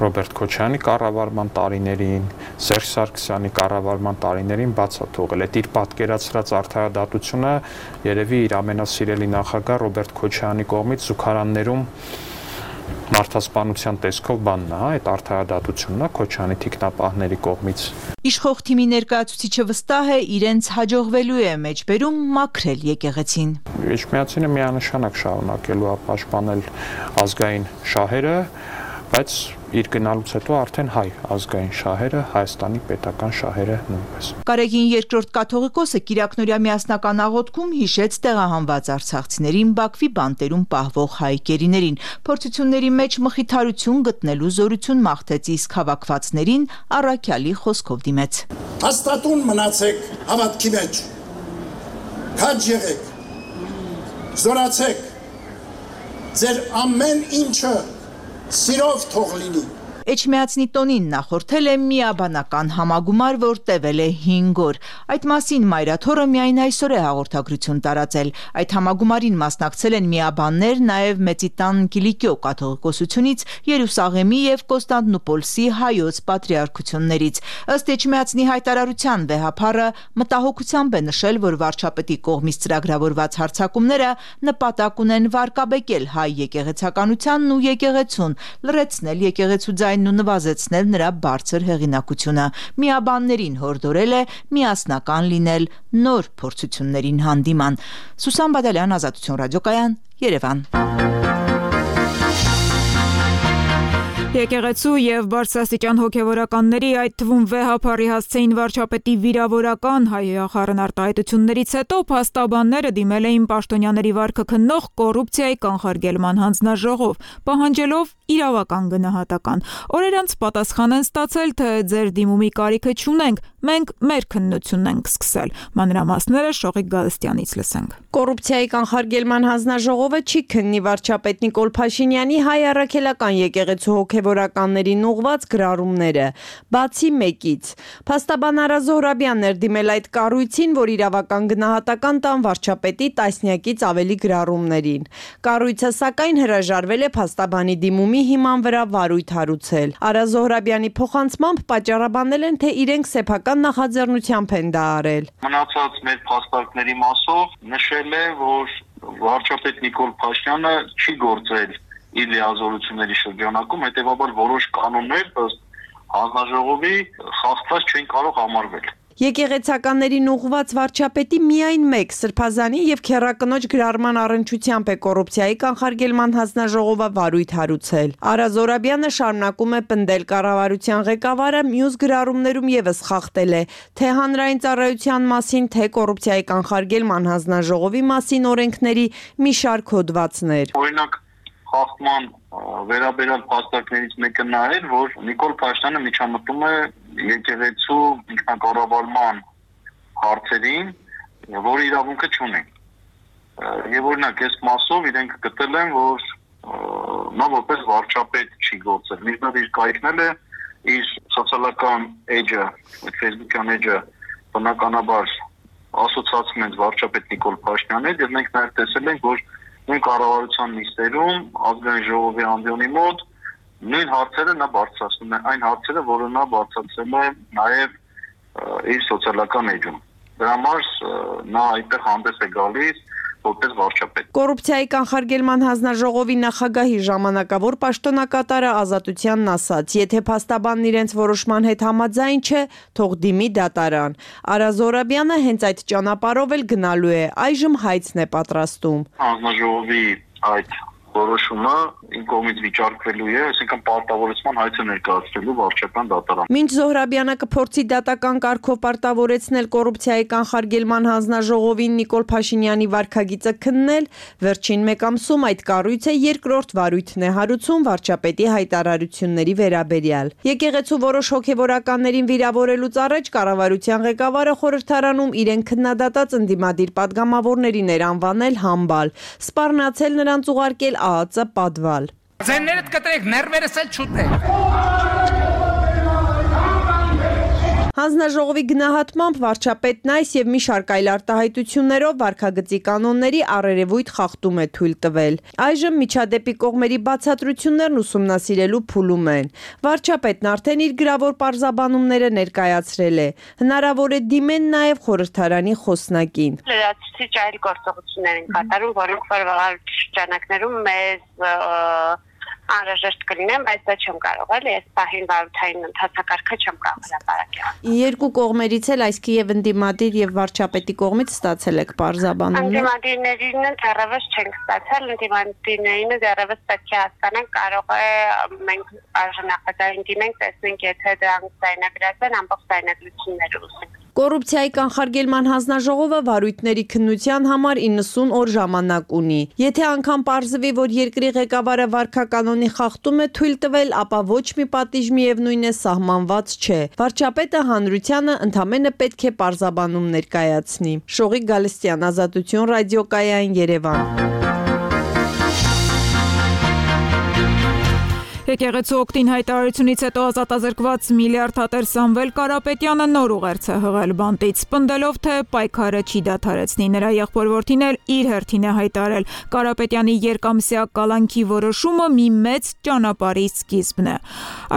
N: Ռոբերտ Քոչարյանի կառավարման տարիներին, Սերժ Սարգսյանի կառավարման տարիներին բաց է թողել։ Այդ իր պատկերացրած արդարադատությունը երևի իր ամենասիրելի նախագահ Ռոբերտ Քոչարյանի կողմից զուգարաններում մարդասպանության տեսքով բանն է, այդ արդարադատությունն է Քոչարյանի թիկնապահների կողմից։
O: Իշխող թիմի ներկայացուցիչը վստահ է իրենց հաջողվելու է մեջբերում մաքրել եկեղեցին։
N: Էջմիածինը միանշանակ շարունակելու է պաշտպանել ազգային շահերը, բայց իր գնալուց հետո արդեն հայ ազգային շահերը, Հայաստանի պետական շահերը նույնպես։
O: Կարեգին II կաթողիկոսը Կիրակնորյա միասնական աղոթքում հիշեց տեղահանված արցախցիներին Բաքվի բանտերում պահվող հայ գերիներին, փորձությունների մեջ մխիթարություն գտնելու զորություն մաղթեց, իսկ հավաքվածներին առաքյալի խոսքով դիմեց։
Q: Հաստատուն մնացեք հավատքի մեջ, քաջ եղեք, զորացեք, ձեր ամեն ինչը սիրով թող լինի։
O: Էջմիածնի տոնին նախորդել է միաբանական համագումար, որ տևել է 5 օր։ Այդ մասին Մայրաթորը միայն այսօր է հաղորդագրություն տարածել։ Այդ համագումարին մասնակցել են միաբաններ նաև Մեծիտան Կիլիկիո կաթողիկոսությունից, Երուսաղեմի եւ Կոստանդնուպոլսի հայոց պատրիարքություններից։ Ըստ Էջմիածնի հայտարարության վեհափառը մտահոգությամբ է նշել, որ վարչապետի կողմից ծրագրավորված հարձակումները նպատակ ունեն վարկաբեկել հայ եկեղեցականությանն ու եկեղեցուն, լրացնել եկեղեցու ձայնն ու նվազեցնել նրա բարձր հեղինակությունը։ Միաբաններին հորդորել է միասնական լինել նոր փորձություններին հանդիման։ Սուսան Բադալյան, Ազատություն ռադիոկայան, Երևան։
A: Եկեղեցու եւ բարձրաստիճան հոգեվորականների, այդ թվում վեհափառի հասցեին վարչապետի վիրավորական հայախառն արտահայտություններից հետո փաստաբանները դիմել էին պաշտոնյաների վարքը քննող կոռուպցիայի կանխարգելման հանձնաժողով, պահանջելով իրավական գնահատական։ Օրեր անց պատասխան են ստացել, թե ձեր դիմումի կարիքը չունենք, մենք մեր քննությունն ենք սկսել։ Մանրամասները Շողիկ Գալստյանից լսենք։
R: Կոռուպցիայի կանխարգելման հանձնաժողովը չի քննի վարչապետ Նիկոլ Փաշինյանի հայ առաքելական եկեղեցու հոգևորականներին ուղված գրառումները, բացի մեկից։ Փաստաբան Արա Զոհրաբյանն էր դիմել այդ կառույցին, որ իրավական գնահատական տան վարչապետի տասնյակից ավելի գրառումներին։ Կառույցը սակայն հրաժարվել է փաստաբանի դիմումի հիման վրա վարույթ հարուցել։ Արա Զոհրաբյանի փոխանցմամբ պատճառաբանել են, թե իրենք սեփական նախաձեռնությամբ են դա արել։
S: Մնացած մեր փաստարկների մասով նշել է, որ վարչապետ Նիկոլ Փաշինյանը չի գործել իր լիազորությունների շրջանակում, հետևաբար որոշ կանոններ ըստ հանձնաժողովի խախտված չեն կարող համարվել։
R: Եկեղեցականներին ուղղված վարչապետի միայն մեկ սրբազանի եւ քեռակնոջ գրառման առնչությամբ է կոռուպցիայի կանխարգելման հանձնաժողովը վարույթ հարուցել։ Արա Զորաբյանը շարունակում է պնդել կառավարության ղեկավարը մյուս գրառումներում եւս խախտել է թե հանրային ծառայության մասին, թե կոռուպցիայի կանխարգելման հանձնաժողովի մասին օրենքների մի շարք հոդվածներ։
S: Օրինակ խախտման վերաբերյալ փաստարկներից մեկը նա էր, որ Նիկոլ Փաշինյանը միջամտում է եկեղեցու ինքնակառավարման հարցերին, որը իրավունքը չունի։ Եվ օրինակ այս մասով իրենք գտել են, որ նա որպես վարչապետ չի գործել։ Մինչդեռ իր կայքնել է իր սոցիալական էջը, Facebook-յան էջը բնականաբար ասոցացում են վարչապետ Նիկոլ Փաշինյանի հետ, եւ մենք նաև տեսել ենք, որ նույն կառավարության նիստերում ազգային ժողովի ամբիոնի մոտ նույն հարցերը նա բարձրացնում է, այն հարցերը, որը նա բարձրացրել է նաև իր սոցիալական էջում։ Դրա համար նա այդտեղ հանդես է գալիս որպես վարչապետ։
R: Կոռուպցիայի կանխարգելման հանձնաժողովի նախագահի ժամանակավոր պաշտոնակատարը Ազատությանն ասաց. եթե փաստաբանն իրենց որոշման հետ համաձայն չէ, թող դիմի դատարան։ Արա Զորաբյանը հենց այդ ճանապարհով էլ գնալու է, այժմ հայցն է պատրաստում։
S: Հանձնաժողովի այդ որոշումը իմ կողմից վիճարկվելու է, այսինքն պարտավորեցման հայցը ներկայացնելու վարչական դատարան։
R: Մինչ Զոհրաբյանը կփորձի դատական կարգով պարտավորեցնել կոռուպցիայի կանխարգելման հանձնաժողովին Նիկոլ Փաշինյանի վարքագիծը քննել, վերջին մեկ ամսում այդ կառույցը երկրորդ վարույթն է հարուցում վարչապետի հայտարարությունների վերաբերյալ։ Եկեղեցու որոշ հոգևորականներին վիրավորելուց առաջ կառավարության ղեկավարը խորհրդարանում իրեն քննադատած ընդդիմադիր падգամավորներին էր անվանել համբալ, սպառնացել նրանց ուղարկել ԱԱԾ պատվալ։
T: Ձեններդ կտրեք, ներվերս էլ չուտեք։
R: Հանձնաժողովի գնահատմամբ վարչապետն այս եւ մի շարք այլ արտահայտություններով վարքագծի կանոնների առերևույթ խախտում է թույլ տվել։ Այժմ միջադեպի կողմերի բացատրություններն ուսումնասիրելու փուլում են։ Վարչապետն արդեն իր գրավոր պարզաբանումները ներկայացրել է։ Հնարավոր է դիմեն նաեւ խորհրդարանի խոսնակին։
U: Լրացուցիչ այլ գործողություններ են կատարում, որոնք շրջանակներում մեզ անհրաժեշտ կլինեն, բայց դա չեմ կարող էլ, ես պահին վարութային ընթացակարգը չեմ կարող հրապարակել։
R: Երկու կողմերից էլ, այսքի եւ ընդդիմադիր եւ վարչապետի կողմից ստացել եք պարզաբանումներ։
U: Ընդդիմադիրներին դեռևս չենք ստացել, ընդդիմադիրներին դեռևս պետք է հասկանանք, կարող է մենք արժանապատային դիմենք, տեսնենք, եթե դրանք ձայնագրած են, ամբողջ ձայնագրությունները ուսենք։
R: Կոռուպցիայի կանխարգելման հանձնաժողովը վարույթների քննության համար 90 օր ժամանակ ունի։ Եթե անգամ պարզվի, որ երկրի ղեկավարը վարքականոնի խախտում է թույլ տվել, ապա ոչ մի պատիժ միևնույն է սահմանված չէ։ Վարչապետը հանրությանը ընդամենը պետք է պարզաբանում ներկայացնի։ Շողիկ Գալստյան, Ազատություն, ռադիոկայան, Երևան։
A: Եկեղեցու օգտին հայտարարությունից հետո ազատազրկված միլիարդատեր Սամվել Կարապետյանը նոր ուղերձ է հղել բանտից, պնդելով, թե պայքարը չի դադարեցնի։ Նրա եղբոր-որդին էլ իր հերթին է հայտարարել. Կարապետյանի երկամսյա կալանքի որոշումը մի մեծ ճանապարհի սկիզբն է։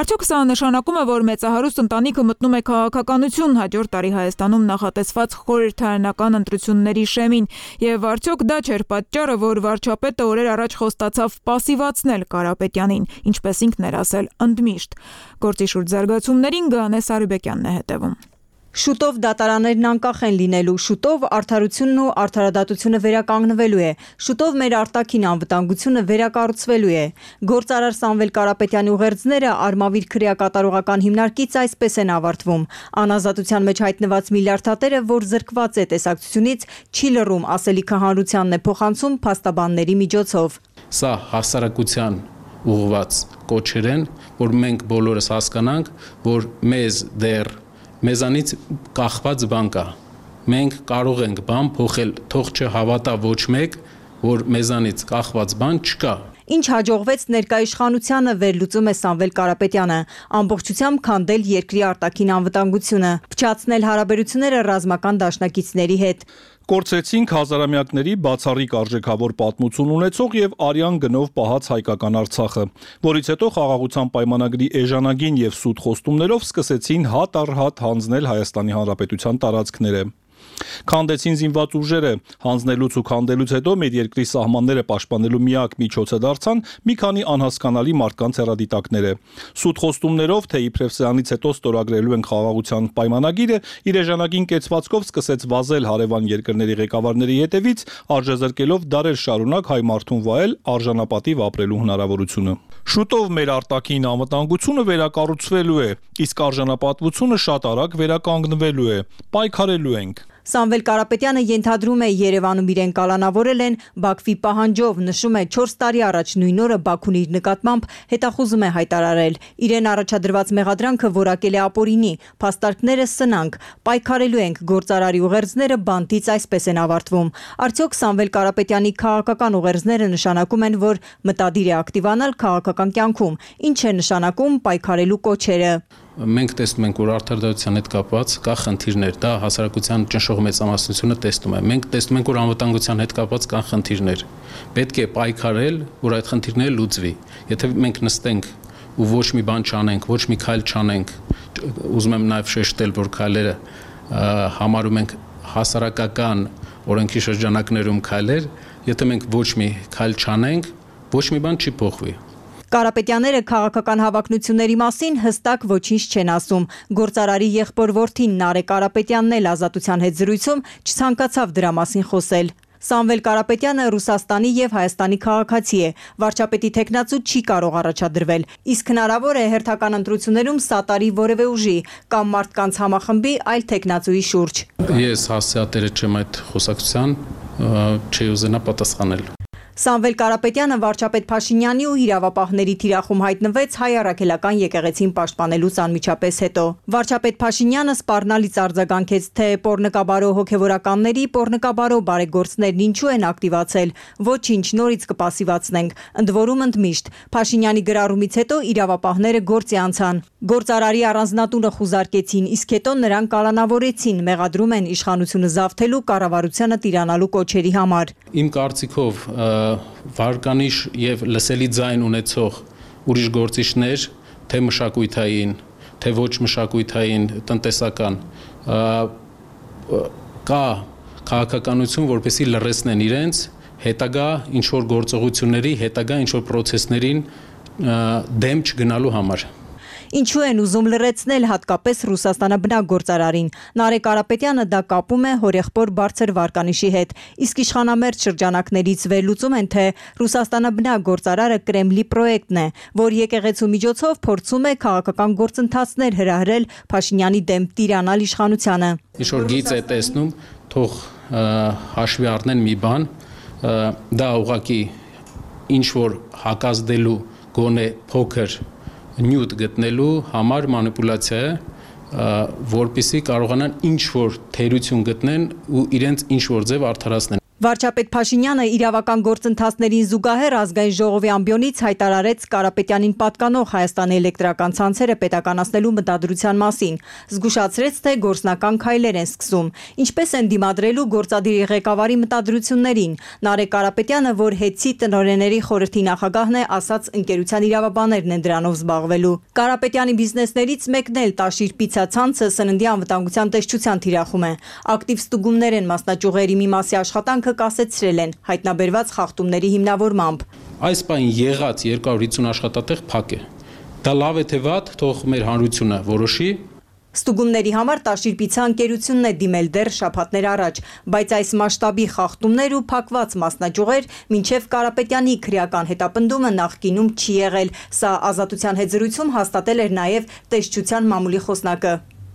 A: Արդյոք սա նշանակում է, որ մեծահարուստ ընտանիքը մտնում է քաղաքականություն հաջորդ տարի Հայաստանում նախատեսված խորհրդարանական ընտրությունների շեմին, եւ արդյոք դա չէր պատճառը, որ վարչապետը օրեր առաջ խոստացավ պասիվացնել Կարապետյանին, ինչպես ինքն էր ասել ընդմիշտ։ Գործի շուրջ զարգացումներին Գանե Սարիբեկյանն է հետևում։
V: Շուտով դատարաններն անկախ են լինելու, շուտով արդարությունն ու արդարադատությունը վերականգնվելու է, շուտով մեր արտաքին անվտանգությունը վերակառուցվելու է։ Գործարար Սամվել Կարապետյանի ուղերձները Արմավիր քրեակատարողական հիմնարկից այսպես են ավարտվում. Անազատության մեջ հայտնված միլիարդատերը, որ զրկված է տեսակցությունից, չի լռում, ասելիքը հանրությանն է փոխանցում փաստաբանների միջոցով։
W: Սա հասարակության ուղղված կոչեր են, որ մենք բոլորս հասկանանք, որ մեզանից կախված բան կա։ Մենք կարող ենք բան փոխել, թող չհավատա ոչ մեկ, որ մեզանից կախված բան չկա։
V: Ինչ հաջողվեց ներկայիշխանությանը վերլուծում է Սամվել Կարապետյանը, ամբողջությամբ քանդել երկրի արտաքին անվտանգությունը, փչացնել հարաբերությունները ռազմական դաշնակիցների հետ։
C: Կորցրեցինք հազարամյակների բացառիկ արժեքավոր պատմություն ունեցող եւ արյան գնով պահած հայկական Արցախը, որից հետո խաղաղության պայմանագրի էժանագին եւ սուտ խոստումներով սկսեցին հատ առ հատ հանձնել Հայաստանի Հանրապետության տարածքները։ Քանդեցին զինված ուժերը, հանձնելուց ու քանդելուց հետո մեր երկրի սահմանները պաշտպանելու միակ միջոցը դարձան մի քանի անհասկանալի մարդկանց հեռադիտակները։ Սուտ խոստումներով, թե իբրև սրանից հետո ստորագրելու են խաղաղության պայմանագիրը, իր էժանագին կեցվածքով սկսեց վազել հարևան երկրների ղեկավարների հետևից, արժեզրկելով դարեր շարունակ հայ մարդուն վայել արժանապատիվ ապրելու հնարավորությունը։ Շուտով մեր արտաքին անվտանգությունը վերակառուցվելու է, իսկ արժանապատվությունը շատ արագ վերականգնվելու է, պայքարելու ենք։
V: Սամվել Կարապետյանը ենթադրում է Երևանում իրեն կալանավորել են Բաքվի պահանջով, նշում է 4 տարի առաջ նույն օրը Բաքուն իր նկատմամբ հետախուզում է հայտարարել։ Իրեն առաջադրված մեղադրանքը որակել է ապօրինի, փաստարկները սնանկ, պայքարելու ենք, գործարարի ուղերձները բանտից այսպես են ավարտվում։ Արդյոք Սամվել Կարապետյանի քաղաքական ուղերձները նշանակում են, որ մտադիր է ակտիվանալ քաղաքական կյանքում, ինչ է նշանակում պայքարելու կոչերը։
W: Մենք տեսնում ենք, որ արդարադատության հետ կապված կա խնդիրներ, դա հասարակության ճնշող մեծամասնությունը տեսնում է։ Մենք տեսնում ենք, որ անվտանգության հետ կապված կան խնդիրներ։ Պետք է պայքարել, որ այդ խնդիրները լուծվի։ Եթե մենք նստենք ու ոչ մի բան չանենք, ոչ մի քայլ չանենք, ուզում եմ նաև շեշտել, որ քայլերը համարում ենք հասարակական օրենքի շրջանակներում քայլեր, եթե մենք ոչ մի քայլ չանենք, ոչ մի բան չի փոխվի։
V: Կարապետյանները քաղաքական հավակնությունների մասին հստակ ոչինչ չեն ասում։ Գործարարի եղբոր որդին Նարեկ Կարապետյանն էլ Ազատության հետ զրույցում չցանկացավ դրա մասին խոսել։ Սամվել Կարապետյանը Ռուսաստանի եւ Հայաստանի քաղաքացի է։ Վարչապետի տեխնացու չի կարող առաջադրվել, իսկ հնարավոր է հերթական ընտրություններում սատարի որևէ ուժի կամ մարդկանց համախմբի այլ տեխնացուի շուրջ։
W: Ես հասցեատերը չեմ այդ խոսակցության, չի ուզենա պատասխանել։
V: Սամվել Կարապետյանը վարչապետ Փաշինյանի ու իրավապահների թիրախում հայտնվեց հայ առաքելական եկեղեցին պաշտպանելուց անմիջապես հետո։ Վարչապետ Փաշինյանը սպառնալից արձագանքեց, թե պոռնկաբարո հոգևորականների պոռնկաբարո բարեգործներն ինչու են ակտիվացել, ոչինչ նորից կպասիվացնենք, ընդ որում ընդմիշտ։ Փաշինյանի գրառումից հետո իրավապահները գործի անցան։ Գործարարի առանձնատունը խուզարկեցին, իսկ հետո նրան կալանավորեցին, մեղադրում են իշխանությունը զավթելու, կառավարությանը տիրանալու կոչերի համար։
W: Իմ կարծիքով վարկանիշ եւ լսելի ձայն ունեցող ուրիշ գործիչներ, թե մշակութային, թե ոչ մշակութային, տնտեսական, կա քաղաքականություն, որպեսզի լռեցնեն իրենց հետագա ինչ որ գործողությունների, հետագա ինչ որ պրոցեսներին դեմ չգնալու համար։
V: Ինչու են ուզում լռեցնել հատկապես Ռուսաստանաբնակ գործարարին։ Նարեկ Կարապետյանը դա կապում է հորեղբոր բարձր վարկանիշի հետ, իսկ իշխանամերձ շրջանակներից վերլուծում են, թե Ռուսաստանաբնակ գործարարը Կրեմլի պրոյեկտն է, որ եկեղեցու միջոցով փորձում է քաղաքական գործընթացներ հրահրել Փաշինյանի դեմ տիրանալ իշխանությանը։
W: Ինչ որ գիծ է տեսնում, թող հաշվի առնեն մի բան, դա ուղղակի ինչ որ հակազդելու գոնե փոքր նյութ գտնելու համար մանիպուլյացիա է, որպեսզի կարողանան ինչ որ թերություն գտնեն ու իրենց ինչ որ ձև արդարացնեն։
V: Վարչապետ Փաշինյանը իրավական գործընթացներին զուգահեռ ազգային ժողովի ամբիոնից հայտարարեց Կարապետյանին պատկանող Հայաստանի էլեկտրական ցանցերը պետականացնելու մտադրության մասին, զգուշացրեց, թե գործնական քայլեր են սկսում, ինչպես են դիմադրելու գործադիրի ղեկավարի մտադրություններին։ Նարեկ Կարապետյանը, որ ՀԵՑ-ի տնօրենների խորհրդի նախագահն է, ասաց ընկերության իրավաբաններն են դրանով զբաղվելու։ Կարապետյանի բիզնեսներից մեկն էլ Տաշիր պիցա ցանցը սննդի անվտանգության տեսչության թիրախում է։ Ակտիվ ստուգումներ են մասնաճյուղերի մի մասի աշխատանքը կասեցրել են հայտնաբերված խախտումների հիմնավորմամբ։
W: Այս բան եղած 250 աշխատատեղ փակ է։ Դա լավ է թե վատ, թող մեր հանրությունը որոշի։
V: Ստուգումների համար Տաշիր պիցա ընկերությունն է դիմել դեռ շաբաթներ առաջ, բայց այս մասշտաբի խախտումներ ու փակված մասնաճյուղեր մինչև Կարապետյանի քրեական հետապնդումը նախկինում չի եղել։ Սա Ազատության հետ զրույցում հաստատել էր նաև տեսչության մամուլի խոսնակը։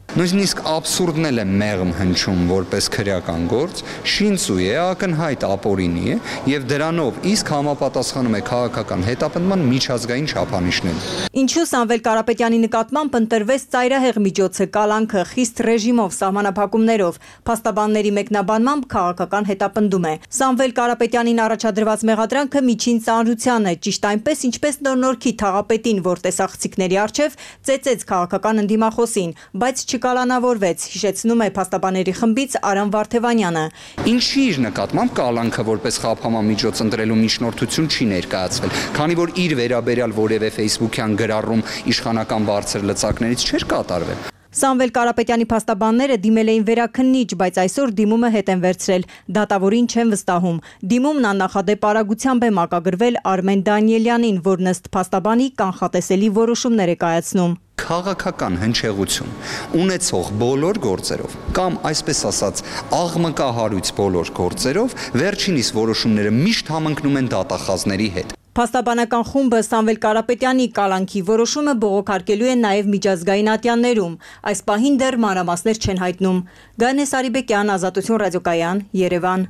B: Նույնիսկ աբսուրդն էլ է մեղմ հնչում որպես քրեական գործ, շինծու է, ակնհայտ ապօրինի է եւ դրանով իսկ համապատասխանում է քաղաքական հետապնդման միջազգային չափանիշներին։
V: Ինչու Սամվել Կարապետյանի նկատմամբ ընտրվեց ծայրահեղ միջոցը, կալանքը, խիստ ռեժիմով, սահմանափակումներով, փաստաբանների մեկնաբանմամբ քաղաքական հետապնդում է։ Սամվել Կարապետյանին առաջադրված մեղադրանքը միջին ծանրության է, ճիշտ այնպես ինչպես նոր-նորքի թաղապետին, որ տեսախցիկների առջև ծեծեց քաղաքական ընդդիմախոսին, բայց կալանավորվեց, հիշեցնում է փաստաբանների խմբից Արամ Վարդևանյանը։
B: Ինչի իր նկատմամբ կալանքը որպես խափամամիջոց ընտրելու միջնորդություն չի ներկայացվել, քանի որ իր վերաբերյալ որևէ ֆեյսբուքյան գրառում իշխանական բարձր լծակներից չէր կատարվել։
V: Սամվել Կարապետյանի փաստաբանները դիմել էին վերաքննիչ, բայց այսօր դիմումը հետ են վերցրել։ Դատավորին չեն վստահում։ Դիմումն աննախադեպ արագությամբ է մակագրվել Արմեն Դանիելյանին, որն ըստ փաստաբանի կանխատեսելի որոշումներ է կայացնում։
B: Քաղաքական հնչեղություն ունեցող բոլոր գործերով կամ այսպես ասած աղմկահարույց բոլոր գործերով վերջինիս որոշումները միշտ համընկնում են դատախազների հետ։
V: Փաստաբանական խումբը Սամվել Կարապետյանի կալանքի որոշումը բողոքարկելու են նաև միջազգային ատյաններում։ Այս պահին դեռ մանրամասներ չեն հայտնում։ Գանե Սարիբեկյան, Ազատություն ռադիոկայան, Երևան։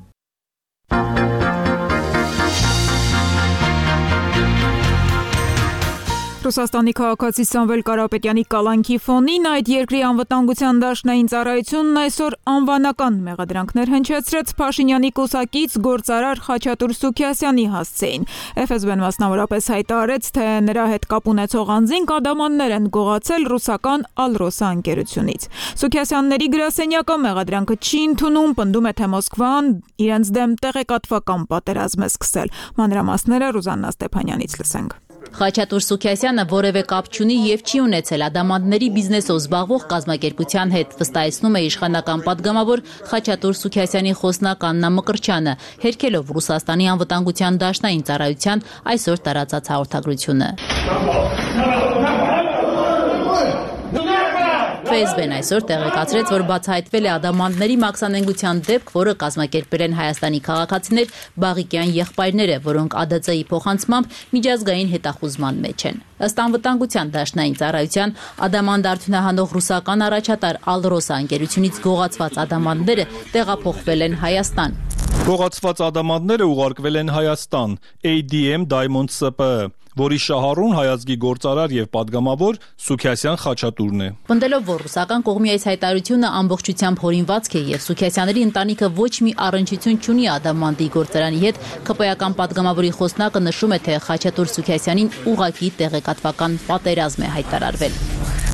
A: Ռուսաստանի քաղաքացի Սամվել Կարապետյանի կալանքի ֆոնին այդ երկրի անվտանգության դաշնային ծառայությունն այսօր անվանական մեղադրանքներ հնչեցրեց Փաշինյանի կուսակից գործարար Խաչատուր Սուքիասյանի հասցեին։ FSB-ն մասնավորապես հայտարարեց, թե նրա հետ կապ ունեցող անձին կադամաններ են գողացել ռուսական Ալրոսա ընկերությունից։ Սուքիասյանների գրասենյակը մեղադրանքը չի ընդունում, պնդում է, թե Մոսկվան իրենց դեմ տեղեկատվական պատերազմ է սկսել։ Մանրամասները Ռուզաննա Ստեփանյանից լսենք։
D: Խաչատուր Սուքիասյանը որևէ կապ չունի եւ չի ունեցել ադամանդների բիզնեսով զբաղվող կազմակերպության հետ, վստահեցնում է իշխանական պատգամավոր Խաչատուր Սուքիասյանի խոսնակ Աննա Մկրտչյանը, հերքելով Ռուսաստանի անվտանգության դաշնային ծառայության այսօր տարածած հաղորդագրությունը։ FSB-ն այսօր տեղեկացրեց, որ բացահայտվել է ադամանդների մաքսանենգության դեպք, որը կազմակերպել են Հայաստանի քաղաքացիներ Բաղիկյան եղբայրները, որոնք ԱԴՑ-ի փոխանցմամբ միջազգային հետախուզման մեջ են։ Ըստ անվտանգության դաշնային ծառայության ադամանդ արդյունահանող ռուսական առաջատար Ալրոսա ընկերությունից գողացված ադամանդները տեղափոխվել են Հայաստան։
C: Գողացված ադամանդները ուղարկվել են Հայաստան, ADM Diamond SPԸ, որի շահառուն հայազգի գործարար եւ падգամավոր Սուքիասյան Խաչատուրն է։
D: Պնդելով, որ ռուսական կողմի այս հայտարարությունը ամբողջությամբ հորինվածք է եւ Սուքիասյանների ընտանիքը ոչ մի առնչություն չունի ադամանդի գործարանի հետ, ԿՊ-ական падգամավորի խոսնակը նշում է, թե Խաչատուր Սուքիասյանին ուղղակի տեղեկատվական պատերազմ է հայտարարվել։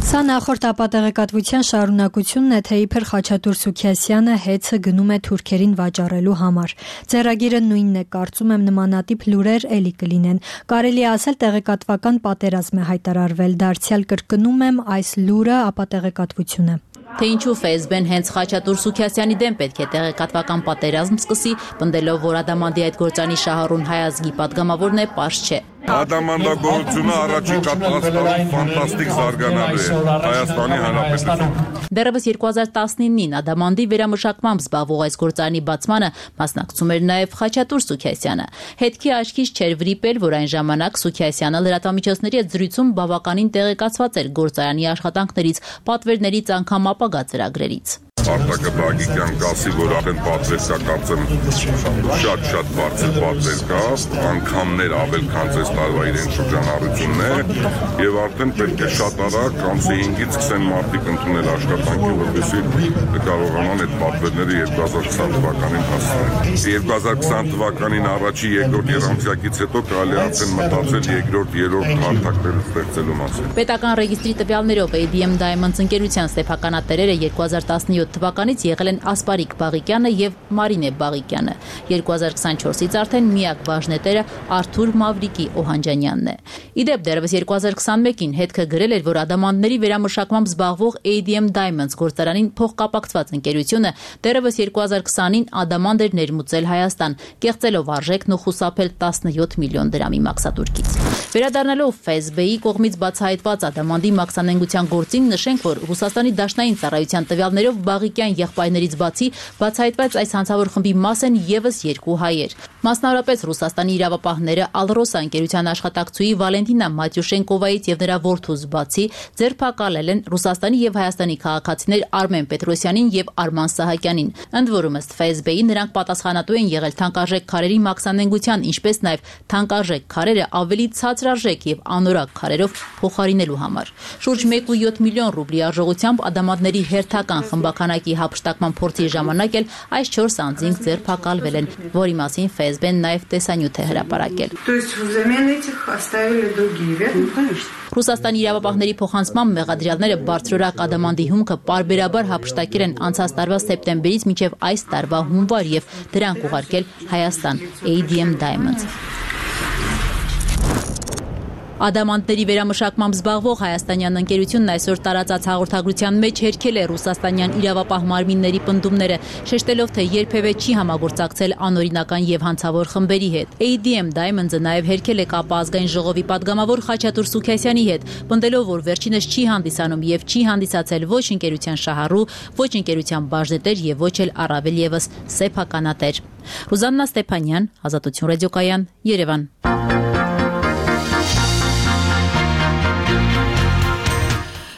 V: Սա նախորդ ապատեղեկատվության շարունակությունն է, թե իբր Խաչատուր Սուքիասյանը հեծը գնում է թուրքերին վաճառելու համար։ Ձեռագիրը նույնն է, կարծում եմ նմանատիպ լուրեր էլի կլինեն։ Կարելի է ասել տեղեկատվական պատերազմ է հայտարարվել, դարձյալ կրկնում եմ այս լուրը ապատեղեկատվությունը։
D: Թե ինչու FSB-ն հենց Խաչատուր Սուքիասյանի դեմ պետք է տեղեկատվական պատերազմ սկսի, պնդելով, որ ադամանդի այդ գործանի շահառուն հայազգի падգամավորն է, պարզ չէ։
G: Ադամանդագործությունը առաջին կատարածքներում ֆանտաստիկ զարգանալու է Հայաստանի Հանրապետությունում։
D: Դեռևս 2019-ին ադամանդի վերամշակմամբ զբաղվող այս գործարանի բացմանը մասնակցում էր նաև Խաչատուր Սուքիասյանը։ Հետքի աչքից չէր վրիպել, որ այն ժամանակ Սուքիասյանը լրատվամիջոցների հետ զրույցում բավականին տեղեկացված էր գործարանի աշխատանքներից, պատվերներից, անգամ ապագա ծրագրերից։
G: Արտակը Բաղիկյան գասի, որ արդեն պատվեր կա, կարծեմ շատ բարձր պատվեր կա, անգամներ ավել քան այս տարվա իրեն շրջանառությունն է եւ արդեն պետք է շատ արագ ամսի 5-ից սկսեն մարդիկ ընդունել աշխատանքի, որպեսզի կարողանան այդ պատվերները 2020 թվականին հասցնել։ 2020 թվականին առաջի երկրորդ երամսյակից հետո կարելի արդեն մտածել երկրորդ հարթակներ ստեղծելու մասին։
D: Պետական ռեգիստրի տվյալներով ADM Diamonds ընկերության սեփականատերերը 2017 թվականից եղել են Ասպարիկ Բաղիկյանը եւ Մարինե Բաղիկյանը։ 2024-ից արդեն միակ բաժնետերը Արթուր Մավրիկի Օհանջանյանն է։ Իդեպ դեռևս 2021-ին հետքը գրել էր, որ ադամանդների վերամշակմամբ զբաղվող ADM Diamonds գործարանին փոխկապակցված ընկերությունը դեռևս 2020-ին ադամանդ էր ներմուծել Հայաստան, կեղծելով արժեքն ու խուսափել 17 միլիոն դրամի մաքսատուրքից։ Վերադառնալով FSB-ի կողմից բացահայտված ադամանդի մաքսանենգության գործին նշենք, որ Ռուսաստանի դաշնային ծառայության տվյալներով Բաղիկյան եղբայրներից բացի բացահայտված այս հանցավոր խմբի մաս են եւս 2 հայեր։ Մասնավորապես Ռուսաստանի իրավապահները Ալրոսա ընկերության աշխատակցուի Վալենտինա Մատյուշենկովայից եւ նրա որդուց բացի ձերբակալել են Ռուսաստանի եւ Հայաստանի քաղաքացիներ Արմեն Պետրոսյանին եւ Արման Սահակյանին։ Ընդ որում ըստ FSB-ի նրանք պատասխանատու են եղել թանկարժեք քարերի մաքսանենգության, ինչպես նաեւ թանկարժեք քարերը ավելի ցածրարժեք եւ անորակ քարերով փոխարինելու համար։ Շուրջ 1.7 միլիոն ռուբլի արժողությամբ ադամանդների հերթական խմբականակի հափշտակման փորձի ժամանակ էլ այս 4 անձինք ձերբակալվել են, որի մասին FSB-ն նաև տեսանյութ է հրապարակել։ Ռուսաստանի իրավապահների փոխանցմամբ մեղադրյալները բարձրորակ ադամանդի հումքը պարբերաբար հափշտակել են անցած տարվա սեպտեմբերից մինչև այս տարվա հունվար եւ դրանք ուղարկել Հայաստան ADM Diamonds։ Ադամանդների վերամշակմամբ զբաղվող հայաստանյան ընկերությունն այսօր տարածած հաղորդագրության մեջ հերքել է ռուսաստանյան իրավապահ մարմինների պնդումները, շեշտելով, թե երբևէ չի համագործակցել անօրինական եւ հանցավոր խմբերի հետ։ ADM Diamonds-ը նաեւ հերքել է կապը ազգային ժողովի պատգամավոր Խաչատուր Սուքասյանի հետ, պնդելով, որ վերջինս չի հանդիսանում եւ չի հանդիսացել ոչ ընկերության շահառու, ոչ ընկերության բաժնետեր եւ ոչ էլ առավել եւս սեփականատեր։ Ռուզաննա Ստեփանյան, Ազատություն ռադիոկայան, Երևան։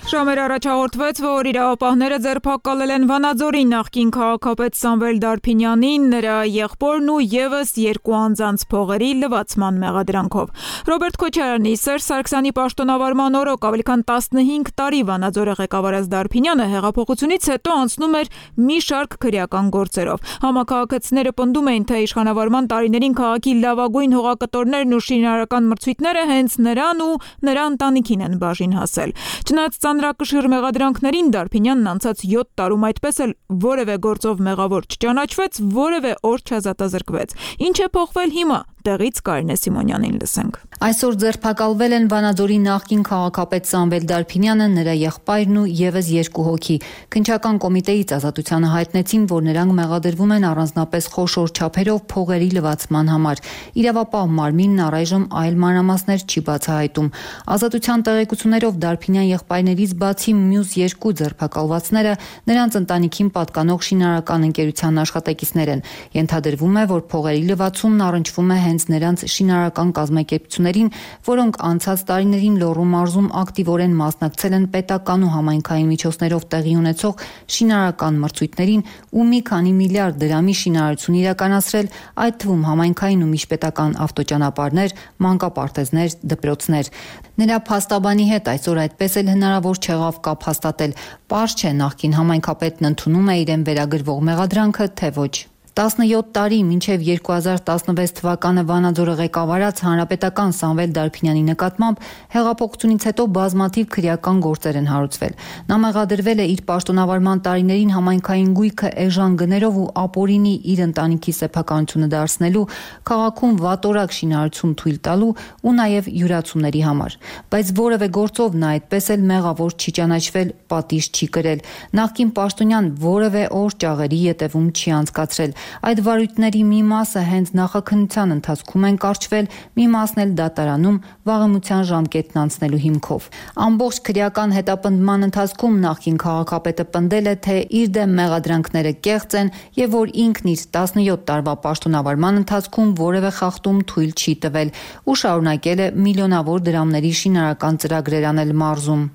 A: Ժամեր առաջ հաղորդվեց, որ իրավապահները ձերբակալել են Վանաձորի նախկին քաղաքապետ Սամվել Դարփինյանին, նրա եղբորն ու եւս երկու անձանց փողերի լվացման մեղադրանքով։ Ռոբերտ Քոչարյանի Սերժ Սարգսյանի պաշտոնավարման օրոք ավելի քան 15 տարի Վանաձորը ղեկավարած Դարփինյանը հեղափոխությունից հետո անցնում էր մի շարք քրեական գործերով։ Համակարգացիները պնդում էին, թե իշխանավարման տարիներին քաղաքի լավագույն հողակտորներն ու շինարարական մրցույթները հենց նրան ու նրա ընտանիքին են բաժին հասել։ Չնայած ծանրակշիռ մեղադրանքներին Դարփինյանն անցած 7 տարում այդպես էլ որևէ գործով մեղավոր չճանաչվեց, որևէ օր չազատազրկվեց։ Ինչ է փոխվել հիմա։ Տեղից Կարինե Սիմոնյանին լսենք։
I: Այսօր ձերբակալվել են Վանաձորի նախկին քաղաքապետ Սամվել Դարփինյանը, նրա եղբայրն ու եւս երկու հոգի։ Քննչական կոմիտեից ազատությանը հայտնեցին, որ նրանք մեղադրվում են առանձնապես խոշոր չափերով փողերի լվացման համար։ Իրավապահ մարմինն առայժմ այլ մանրամասներ չի բացահայտում։ Ազատության տեղեկություններով Դարփինյան եղբայրներից բացի մյուս երկու ձերբակալվածները նրանց ընտանիքին պատկանող շինարարական ընկերության աշխատակիցներ են։ Ենթադրվում է, որ փողերի լվացումն առնչվում է հենց նրանց շինարարական կազմակերպություններին, որոնք անցած տարիներին Լոռու մարզում ակտիվորեն մասնակցել են պետական ու համայնքային միջոցներով տեղի ունեցող շինարարական մրցույթներին ու մի քանի միլիարդ դրամի շինարարություն իրականացրել, այդ թվում համայնքային ու միջպետական ավտոճանապարհներ, մանկապարտեզներ, դպրոցներ։ Նրա փաստաբանի հետ այսօր այդպես էլ հնարավոր չեղավ կապ հաստատել։ Պարզ չէ նախկին համայնքապետն ընդունում է իրեն վերագրվող մեղադրանքը, թե ոչ։ 17 տարի մինչև 2016 թվականը Վանաձորը ղեկավարած հանրապետական Սամվել Դարփինյանի նկատմամբ հեղափոխությունից հետո բազմաթիվ քրեական գործեր են հարուցվել։ Նա մեղադրվել է իր պաշտոնավարման տարիներին համայնքային գույքը էժան գներով ու ապօրինի իր ընտանիքի սեփականությունը դարձնելու, քաղաքում վատորակ շինարարություն թույլ տալու ու նաև յուրացումների համար։ Բայց որևէ գործով նա այդպես էլ մեղավոր չի ճանաչվել, պատիժ չի կրել։ Նախկին պաշտոնյան որևէ օր ճաղերի ետևում չի անցկացրել։ Այդ վարույթների մի մասը հենց նախաքննության ընթացքում են կարճվել, մի մասն էլ դատարանում վաղեմության ժամկետն անցնելու հիմքով։ Ամբողջ քրեական հետապնդման ընթացքում նախկին քաղաքապետը պնդել է, թե իր դեմ մեղադրանքները կեղծ են եւ որ ինքն իր 17 տարվա պաշտոնավարման ընթացքում որևէ խախտում թույլ չի տվել ու շարունակել է միլիոնավոր դրամների շինարարական ծրագրեր անել մարզում։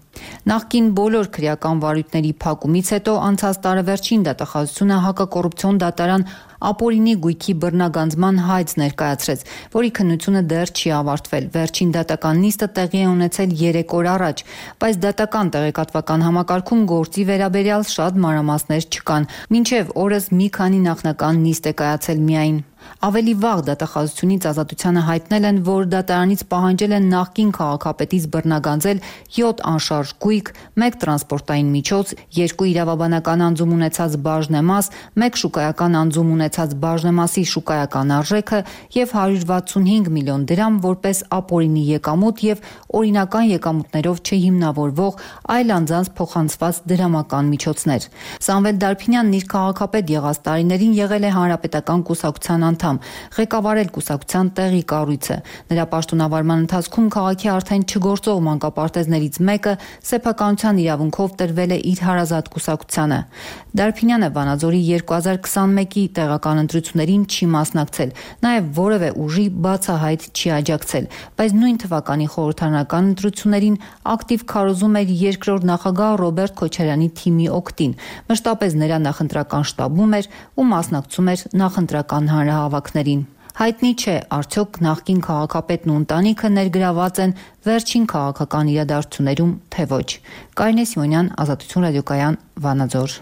I: Նախկին բոլոր քրեական վարույթների փակումից հետո անցած տարեվերջին դատախազությունը հակակոռուպցիոն դատարան ապօրինի գույքի բռնագանձման հայց ներկայացրեց, որի քննությունը դեռ չի ավարտվել։ Վերջին դատական նիստը տեղի է ունեցել 3 օր առաջ, բայց դատական տեղեկատվական համակարգում գործի վերաբերյալ շատ մանրամասներ չկան։ Մինչև օրս մի քանի նախնական նիստ է կայացել միայն։ Ավելի վաղ դատախազությունից ազատությանը հայտնել են, որ դատարանից պահանջել են նախկին քաղաքապետից բռնագանձել 7 անշարժ գույք, 1 տրանսպորտային միջոց, 2 իրավաբանական անձում ունեցած բաժնեմաս, 1 շուկայական անձում ունեցած բաժնեմասի շուկայական արժեքը եւ 165 միլիոն դրամ որպես ապօրինի եկամուտ եւ օրինական եկամուտներով չհիմնավորվող այլ անձանց փոխանցված դրամական միջոցներ։ Սամվել Դարփինյանն իր քաղաքապետ եղած տարիներին եղել է հանրապետական կուսակցության անդամ, ղեկավարել կուսակցության տեղի կառույցը։ Նրա պաշտոնավարման ընթացքում քաղաքի արդեն չգործող մանկապարտեզներից մեկը սեփականության իրավունքով տրվել է իր հարազատ կուսակցությանը։ Դարփինյանը Վանաձորի 2021-ի տեղական ընտրություններին չի մասնակցել, նաև որևէ ուժի բացահայտ չի աջակցել, բայց նույն թվականի խորհրդարանական ընտրություններին ակտիվ քարոզում էր երկրորդ նախագահ Ռոբերտ Քոչարյանի թիմի օգտին, մշտապես նրա նախընտրական շտաբում էր ու մասնակցում էր նախընտրական հանրահավաքներին։ Հայտնի չէ, արդյոք նախկին քաղաքապետն ու ընտանիքը ներգրաված են վերջին քաղաքական իրադարձություններում, թե ոչ։ Կարինե Սիմոնյան, Ազատություն ռադիոկայան, Վանաձոր։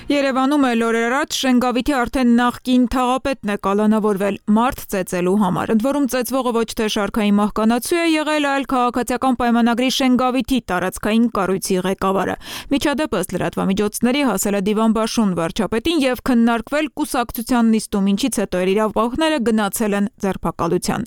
A: Երևանում էլ օրեր առաջ Շենգավիթի արդեն նախկին թաղապետն է կալանավորվել մարդ ծեծելու համար։ Ընդ որում ծեծվողը ոչ թե շարքային մահկանացու է եղել, այլ քաղաքացիական պայմանագրի Շենգավիթի տարածքային կառույցի ղեկավարը։ Միջադեպը ըստ լրատվամիջոցների հասել է դիվանբաշուն վարչապետին եւ քննարկվել կուսակցության նիստում, ինչից հետո իրավապահողները գնացել են ձերբակալության։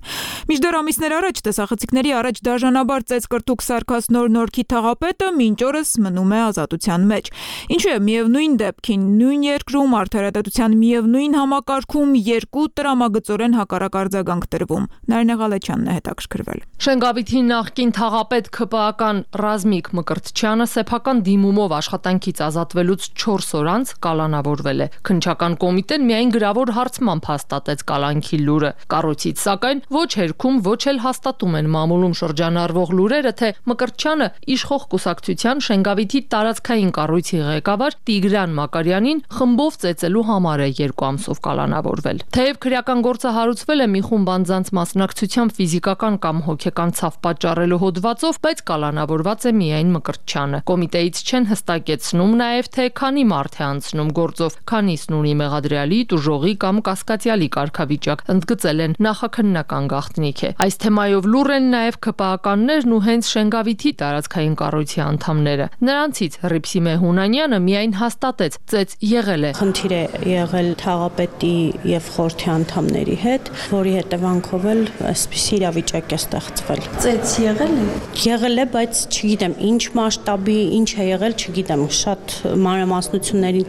A: Մինչդեռ ամիսներ առաջ տեսախցիկների առաջ դաժանաբար ծեծկրտուկ սարքած Նոր-Նորքի թաղապետը մինչ օրս մնում է ազատության մեջ։ Ինչու է միևնույն դեպքին նույն երկրում արդարադատության միևնույն համակարգում երկու տրամագծորեն հակառակ արձագանք տրվում։ Նարինե Ղալեչյանն է հետաքրքրվել։
H: Շենգավիթի նախկին թաղապետ ՔՊԱ-կան Ռազմիկ Մկրտչյանը սեփական դիմումով աշխատանքից ազատվելուց 4 օր անց կալանավորվել է։ Քննչական կոմիտեն միայն գրավոր հարցմամբ հաստատեց կալանքի լուրը։ Կառույցից սակայն ոչ հերքում, ոչ էլ հաստատում են մամուլում շրջանառվող լուրերը, թե Մկրտչյանը իշխող կուսակցության Շենգավիթի տարածքային կառույցի ղեկավար Տիգրան Մակարյանին խմբով ծեծելու համար է 2 ամսով կալանավորվել։ Թեև քրեական գործը հարուցվել է մի խումբ անձանց մասնակցությամբ ֆիզիկական կամ հոգեկան ցավ պատճառելու հոդվածով, բայց կալանավորված է միայն Մկրտչյանը։ Կոմիտեից չեն հստակեցնում նաև թե քանի մարդ է անցնում գործով, քանիսն ունի մեղադրյալի, տուժողի կամ կասկածյալի կարգավիճակ, ընդգծել են նախաքննական գաղտնիք է։ Այս թեմայով լուռ են նաև ԿՊԱ-կաններն ու հենց Շենգավիթի տարածքային կառույցի անդամները։ Նրանցից Հռիփսիմե Հունանյանը միայն հաստատեց ծեծ եղել է։
J: Խնդիր է եղել թաղապետի եւ խորհրդի անդամների հետ, որի հետևանքով էլ այսպիսի իրավիճակ է ստեղծվել։
H: Ծեծ եղել է։
J: Եղել է, բայց չգիտեմ ինչ մասշտաբի, ինչ է եղել, չգիտեմ, շատ մանրամասնությունների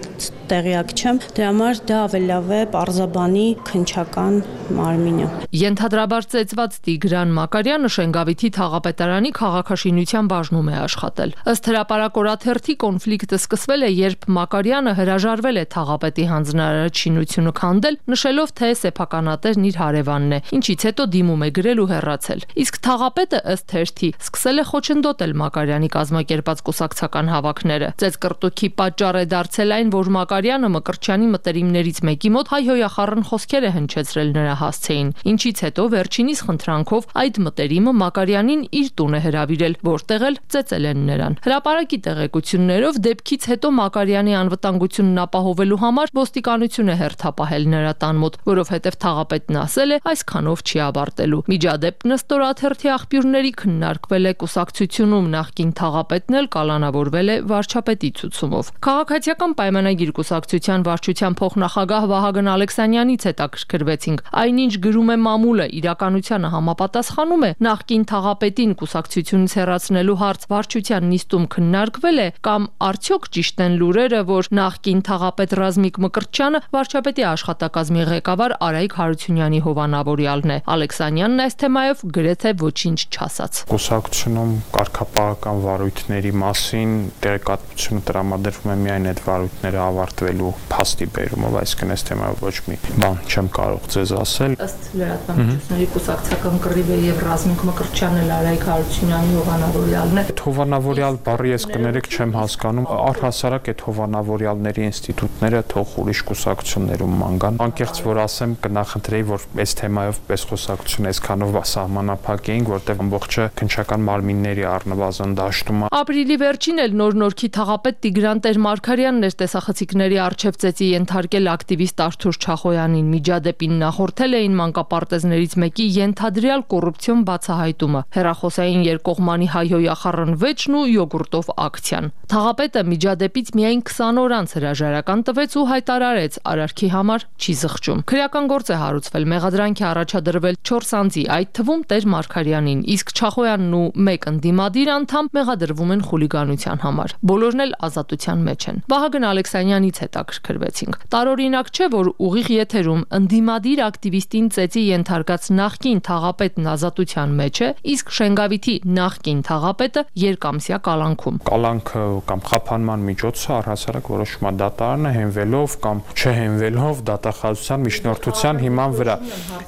J: տեղյակ չեմ։ Դրա համար դա ավելի լավ է պարզաբանի քննչական մարմինը։
H: Ենթադրաբար ծեծված Տիգրան Մակարյանը Շենգավիթի թաղապետարանի քաղաքաշինության բաժնում է աշխատել։ Ըստ հրապարակ օրաթերթի կոնֆլիկտը սկսվել է, երբ Մակարյանը հրաժարվել է թաղապետի հանձնարարած շինությունը քանդել, նշելով, թե սեփականատերն իր հարևանն է, ինչից հետո դիմում է գրել ու հեռացել։ Իսկ թաղապետը ըստ թերթի սկսել է խոչընդոտել Մակարյանի կազմակերպած կուսակցական հավաքները։ Ծեծկրտուքի պատճառ է դարձել այն, որ Մակարյանը Մկրտչյանի մտերիմներից մեկի մոտ հայհոյախառն խոսքեր է հնչեցրել նրա հասցեին, ինչից հետո վերջինիս խնդրանքով այդ մտերիմը Մակարյանին իր տուն է հրավիրել, որտեղ էլ ծեծել են նրան։ Հրապարակի տեղեկություններով դեպքից հետո Մակարյանի անվտանգությունն ապահովելու համար ոստիկանություն է հերթապահել նրա տան մոտ, որովհետև թաղապետն ասել է այսքանով չի ավարտելու։ Միջադեպն ըստ օրաթերթի աղբյուրների քննարկվել է կուսակցությունում, նախկին թաղապետն էլ կալանավորվել է վարչապետի ցուցումով։ Քաղաքացիական պայմանագիր կուսակցության վարչության փոխնախագահ Վահագն Ալեքսանյանից հետաքրքրվեցինք։ Այնինչ գրում է մամուլը, իրականությանը համապատասխանում է նախկին թաղապետին կուսակցությունից հեռացնելու հարց վարչության նիստում քննարկվել է կամ արդյոք ճիշտ են լուրերը, որ նախկին թաղապետ Ռազմիկ Մկրտչյանը վարչապետի աշխատակազմի ղեկավար Արայիկ Հարությունյանի հովանավորյալն է։ Ալեքսանյանն այս թեմայով գրեթե ոչինչ չասաց։
N: Կուսակցությունում կարգապահական վարույթների մասին տեղեկատվությունը տրամադրվում է միայն այդ վարույթները ավարտվելու փաստի բերումով, այսինքն այս թեմայով ոչ մի բան չեմ կարող ձեզ ասել։
H: Ըստ լրատվամիջոցների կուսակցական կռիվը եւ Ռազմիկ Մկրտչյանն էլ Արայիկ Հարությունյանի հովանավորյալն է։
N: Այդ հովանավորյալ բառի ես կներեք չեմ հասկանում, առհասարակ այդ հովանավորյալների ինստիտուտները թող ուրիշ կուսակցություններում ման գան։ Անկեղծ որ ասեմ, կնախընտրեի, որ այս թեմայով պես խոսակցություն այսքանով սահմանափակ էինք, որտեղ ամբողջը քննչական մարմինների առնվազն դաշտում է։
H: Ապրիլի վերջին էլ Նոր-Նորքի թաղապետ Տիգրան Տեր-Մարգարյանն էր տեսախցիկների առջև ծեծի ենթարկել ակտիվիստ Արթուր Չախոյանին։ Միջադեպին նախորդել էին մանկապարտեզներից մեկի ենթադրյալ կոռուպցիոն բացահայտումը, հեռախոսային երկկողմանի հայհոյախառն վեճն ու յոգուրտով ակցիան։ Թաղապետը միջադեպից միայն 20 օր անց հրաժարական տվեց ու հայտարարեց արարքի համար չի զղջում։ Քրեական գործ է հարուցվել, մեղադրանք է առաջադրվել 4 անձի, այդ թվում Տեր-Մարգարյանին, իսկ Չախոյանն ու մեկ ընդդիմադիր անդամ մեղադրվում են խուլիգանության համար։ Բոլորն էլ ազատության մեջ են։ Վահագն Ալեքսանյանից հետաքրքրվեցինք։ Տարօրինակ չէ, որ ուղիղ եթերում ընդդիմադիր ակտիվիստին ծեծի ենթարկած նախկին թաղապետն ազատության մեջ է, իսկ Շենգավիթի նախկին թաղապետը երկամսյա կալանքում։
N: Կալանքը կամ խափանման միջոցը առհասարակ որոշում է դատարանը հենվելով կամ չհենվելով դատախազության միջնորդության հիման վրա։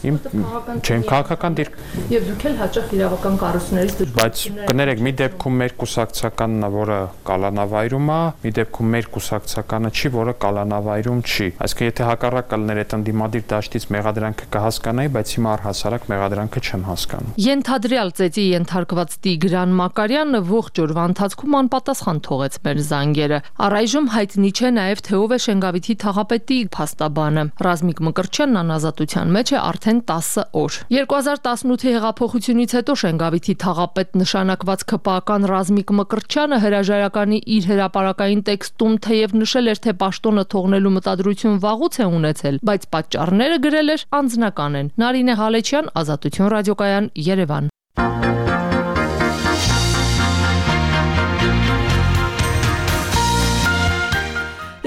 N: Իմ չեմ քաղաքական դիրք։
H: Եվ դուք էլ հաճախ իրավական կառույցներից
N: բայց կներեք, մի դեպքում մեր կուսակցականն է, որը կալանավայրում է, մի դեպքում մեր կուսակցականը չի, որը կալանավայրում չի։ Այսինքն եթե հակառակը լներ այդ ընդդիմադիր դաշտից մեղադրանքը կհասկանայի, բայց հիմա առհասարակ մեղադրանքը չեմ հասկանում։
H: Ենթադրյալ ծեծի ենթարկված Տիգրան Մակարյանը ողջ օրվա ընթացքում անպատասխան թողեց մեր զանգերը։ Առայժմ հայտնի չէ նաև թե ով է Շենգավիթի թաղապետի փաստաբանը։ Ռազմիկ Մկրտչյանն անազատության մեջ է արդեն 10 օր։ 2018-ի հեղափոխությունից հետո Շենգավիթի թաղապետ նշանակված ՔՊԱ-ական Ռազմիկ Մկրտչյանը հրաժարականի իր հրապարակային տեքստում թեև նշել էր, թե պաշտոնը թողնելու մտադրություն վաղուց է ունեցել, բայց պատճառները գրել էր անձնական են։ Նարինե Ղալեչյան, Ազատություն ռադիոկայան, Երևան։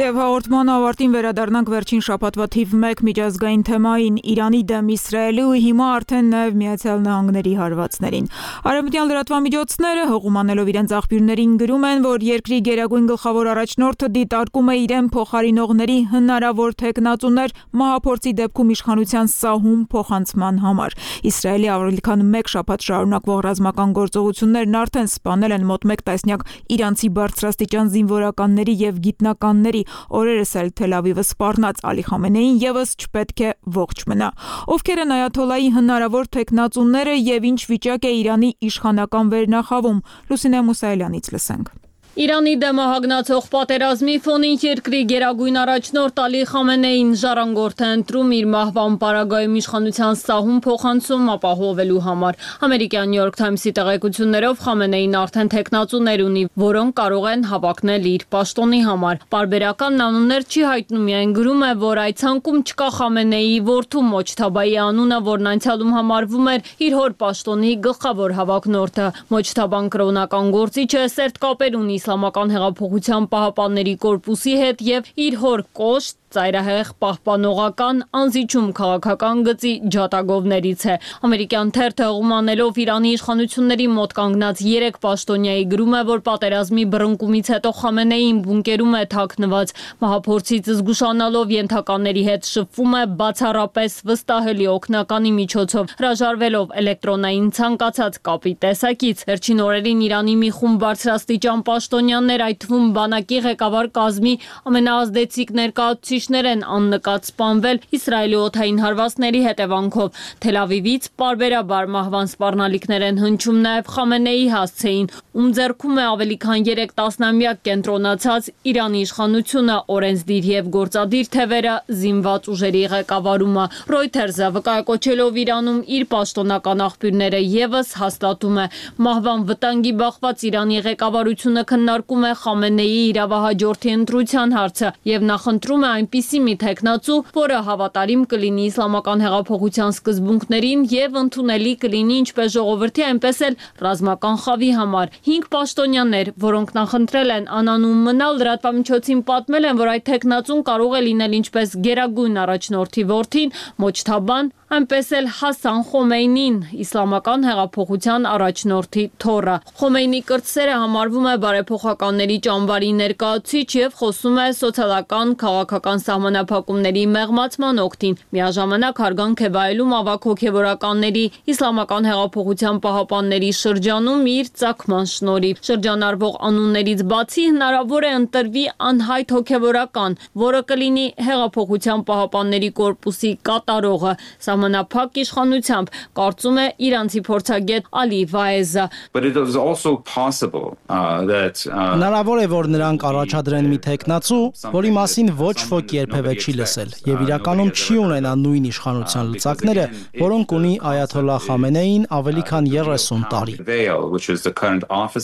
A: Եվ հաղորդման ավարտին վերադառնանք վերջին շաբաթվա թիվ 1 միջազգային թեմային՝ Իրանի դեմ Իսրայելի ու հիմա արդեն նաև Միացյալ Նահանգների հարվածներին։ Արևմտյան լրատվամիջոցները հղումանելով իրենց աղբյուրներին գրում են, որ երկրի գերագույն գլխավոր առաջնորդը դիտարկում է իրեն փոխարինողների հնարավոր թեկնածուներ մահափորձի դեպքում իշխանության սահում փոխանցման համար։ Իսրայելի ավելի քան 1 շաբաթ շարունակվող ռազմական գործողություններն արդեն սպանել են մոտ 1 տասնյակ իրանցի բարձրաստիճան զինվորականների եւ գիտնականների։ Օրերս էլ Թել Ավիվը սպառնաց Ալի Խամենեին եւս չպետք է ողջ մնա։ Ովքեր են այաթոլայի հնարավոր թեկնածուները եւ ինչ վիճակ է Իրանի իշխանական վերնախավում։ Լուսինե Մուսայելյանից լսենք։
F: Իրանի դեմ հագնացող պատերազմի ֆոնին երկրի գերագույն առաջնորդ Ալի Խամենեին ժառանգորդ է ընտրում իր մահվան պարագայում իշխանության սահում փոխանցում ապահովելու համար։ Ամերիկյան New York Times-ի տեղեկություններով Խամենեին արդեն թեկնածուներ ունի, որոնք կարող են հավակնել իր պաշտոնի համար։ Պարբերական անուններ չի հայտնում, միայն գրում է, որ այդ ցանկում չկա Խամենեիի որդու Մոջթաբայի անունը, որն անցյալում համարվում էր իր հոր պաշտոնի գլխավոր հավակնորդը։ Մոջթաբան կրոնական գործիչ է, սերտ կապեր ունի Իսլամական հեղափոխության պահապանների կորպուսի հետ եւ իր հոր կոշտ ծայրահեղ պահպանողական անզիջում քաղաքական գծի ջատագովներից է։ Ամերիկյան թերթը հղումանելով Իրանի իշխանությունների մոտ կանգնած 3 պաշտոնյայի գրում է, որ պատերազմի բռնկումից հետո Խամենեին բունկերում է թաքնված, մահափորձից զգուշանալով ենթականների հետ շփվում է բացառապես վստահելի օգնականի միջոցով, հրաժարվելով էլեկտրոնային ցանկացած կապի տեսակից։ Վերջին օրերին Իրանի մի խումբ բարձրաստիճան պաշտոնյաներ, այդ թվում բանակի ղեկավար կազմի ամենաազդեցիկ ներկայացուցիչներ են աննկատ սպանվել Իսրայելի օդային հարվածների հետևանքով։ Թել Ավիվից պարբերաբար մահվան սպառնալիքներ են հնչում նաև Խամենեիի հասցեին, ում ձեռքում է ավելի քան 3 տասնամյակ կենտրոնացած Իրանի իշխանությունը, օրենսդիր եւ գործադիր թևերը, զինված ուժերի ղեկավարումը։ Reuters-ը վկայակոչելով Իրանում իր պաշտոնական աղբյուրները եւս հաստատում է, մահվան վտանգի բախված Իրանի ղեկավարությունը քննարկում է Խամենեիի իրավահաջորդի ընտրության հարցը եւ նախընտրում է այնպիսի մի թեկնածու, որը հավատարիմ կլինի իսլամական հեղափոխության սկզբունքներին եւ ընդունելի կլինի ինչպես ժողովրդի, այնպես էլ ռազմական խավի համար։ 5 պաշտոնյաներ, որոնք նախընտրել են անանուն մնալ, լրատվամիջոցին պատմել են, որ այդ թեկնածուն կարող է լինել ինչպես գերագույն առաջնորդի որդին Մոջթաբան, այնպես էլ Հասան Խոմեյնին, իսլամական հեղափոխության առաջնորդի թոռը։ Խոմեյնի կրտսերը համարվում է բարեփոխականների ճամբարի ներկայացուցիչ եւ խոսում է սոցիալական քաղաքական սահմանափակումների մեղմացման օգտին։ Միաժամանակ հարգանք է վայելում ավագ հոգեվորականների իսլամական հեղափոխության պահապանների շրջանում իր ծագման շնորհիվ։ Շրջանառվող անուններից բացի հնարավոր է ընտրվի անհայտ հոգեվորական, որը կլինի հեղափոխության պահապանների կորպուսի կատարողը։ Սահմանափակ իշխանությամբ, կարծում է իրանցի փորձագետ Ալի Վայեզը։
E: Հնարավոր է, որ նրանք առաջադրեն մի թեկնածու, որի մասին ոչ ոք երբևէ չի լսել, եւ իրականում չի ունենա նույն իշխանության լծակները, որոնք ունի այաթոլլահ Խամենեին ավելի քան 30 տարի։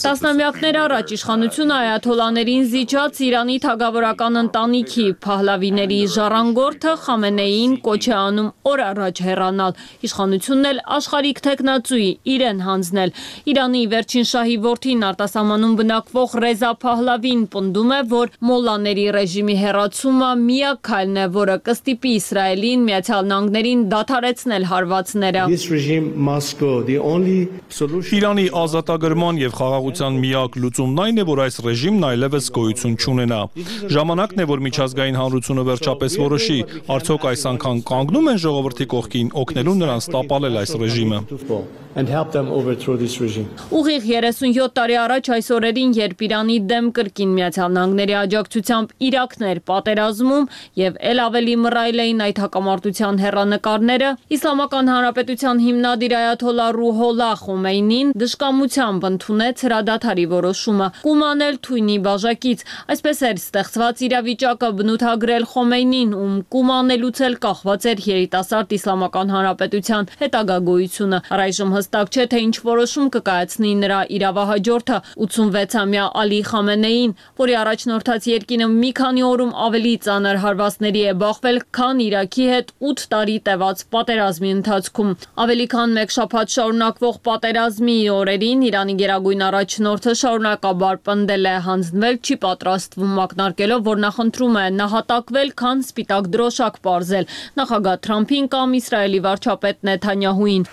F: Տասնամյակներ առաջ իշխանությունը այաթոլլաներին զիջած Իրանի թագավորական ընտանիքի Փահլավիների ժառանգորդը Խամենեիին կոչ է անում օր առաջ հեռանալ, իշխանությունն էլ աշխարհիկ թեկնածուի իրեն հանձնել։ Իրանի վերջին շահի որդին արտասահմանում բնակվող Ռեզա Փահլավին պնդում է, որ մոլլաների ռեժիմի հեռացումը միակ քայլն է, որը կստիպի Իսրայելին, Միացյալ Նահանգներին դադարեցնել հարվածները։
C: Իրանի ազատագրման եւ խաղաղության միակ լուծումն այն է, որ այս ռեժիմն այլևս գոյություն չունենա։ Ժամանակն է, որ միջազգային հանրությունը վերջապես որոշի, արդյոք այս անգամ կանգնում են ժողովրդի կողքին բանակին, օգնելու նրանց տապալել այս ռեժիմը։
F: Ուղիղ 37 տարի առաջ այս օրերին, երբ Իրանի դեմ կրկին Միացյալ Նահանգների աջակցությամբ Իրաքն էր պատերազմում եւ ել ավելի մռայլ էին այդ հակամարտության հեռանկարները, Իսլամական Հանրապետության հիմնադիր այաթոլլա Ռուհոլլա Խոմեյնին դժկամությամբ ընդունեց հրադադարի որոշումը, կումանել թույնի բաժակից։ Այսպես էր ստեղծված իրավիճակը բնութագրել Խոմեյնին, ում կումանելուց էլ կախված էր երիտասարդ Իսլամական Հանրապետության հետագա գոյությունը։ Առայժմ հստակ չէ, թե ինչ որոշում կկայացնի նրա իրավահաջորդը 86-ամյա Ալի Խամենեին, որի առաջնորդած երկիրը մի քանի օրում ավելի ծանր հարվածների է բախվել, քան Իրաքի հետ 8 տարի տևած պատերազմի ընթացքում։ Ավելի քան մեկ շաբաթ շարունակվող պատերազմի օրերին Իրանի գերագույն առաջնորդը շարունակաբար պնդել է հանձնվել, չի պատրաստվում ակնարկելով, որ նախընտրում է նահատակվել, քան սպիտակ դրոշակ պարզել նախագահ Թրամփին կամ Իսրայելի վարչապետ Նեթանյահուին։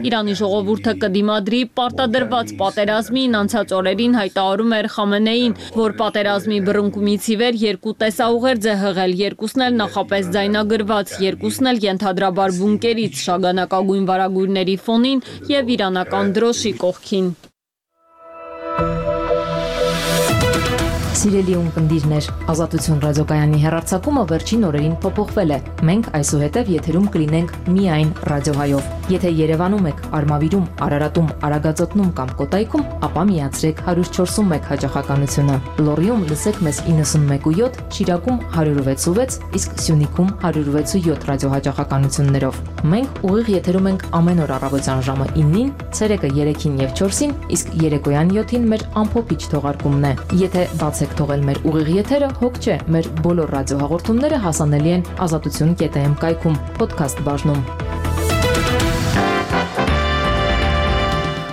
F: Իրանի ժողովուրդը կդիմադրի պարտադրված պատերազմին, անցած օրերին հայտարարում էր Խամենեին, որ պատերազմի բռնկումից ի վեր երկու տեսաուղերձ է հղել, երկուսն էլ նախապես ձայնագրված, երկուսն էլ ենթադրաբար բունկերից, շագանակագույն վարագույրների ֆոնին եւ իրանական դրոշի կողքին։
K: Սիրելի ունկնդիրներ, Ազատություն ռադիոկայանի հեռարձակումը վերջին օրերին փոփոխվել է։ Մենք այսուհետև եթերում կլինենք միայն ռադիոհայով։ Եթե Երևանում եք, Արմավիրում, Արարատում, Արագածոտնում կամ Կոտայքում, ապա միացրեք 104.1 հաճախականությունը։ Լոռիում լսեք մեզ 91.7, Շիրակում 106.6, իսկ Սյունիքում 106.7 ռադիոհաճախականություններով։ Մենք ուղիղ եթերում ենք ամեն օր առավոտյան ժամը 9-ին, ցերեկը 3-ին եւ 4-ին, իսկ երեկոյան 7-ին մեր ամփոփիչ թողարկումն է։ Եթե բացեք թողել մեր ուղիղ եթերը, հոգ չէ, մեր բոլոր ռադիոհաղորդումները հասանելի են azatutun.am կայքում, podcast բաժնում։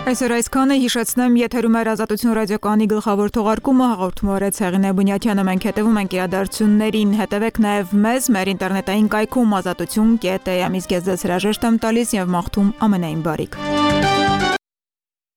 A: Այսօր այսքանը, հիշեցնեմ, եթերում էր Ազատություն ռադիոկայանի գլխավոր թողարկումը, հաղորդում օրեց Հեղինե Բունյաթյանը, մենք հետևում ենք իրադարձություններին, հետևեք նաև մեզ մեր ինտերնետային կայքում azatutun.am, իսկ ես ձեզ հրաժեշտ եմ տալիս եւ մաղթում ամենայն բարիք։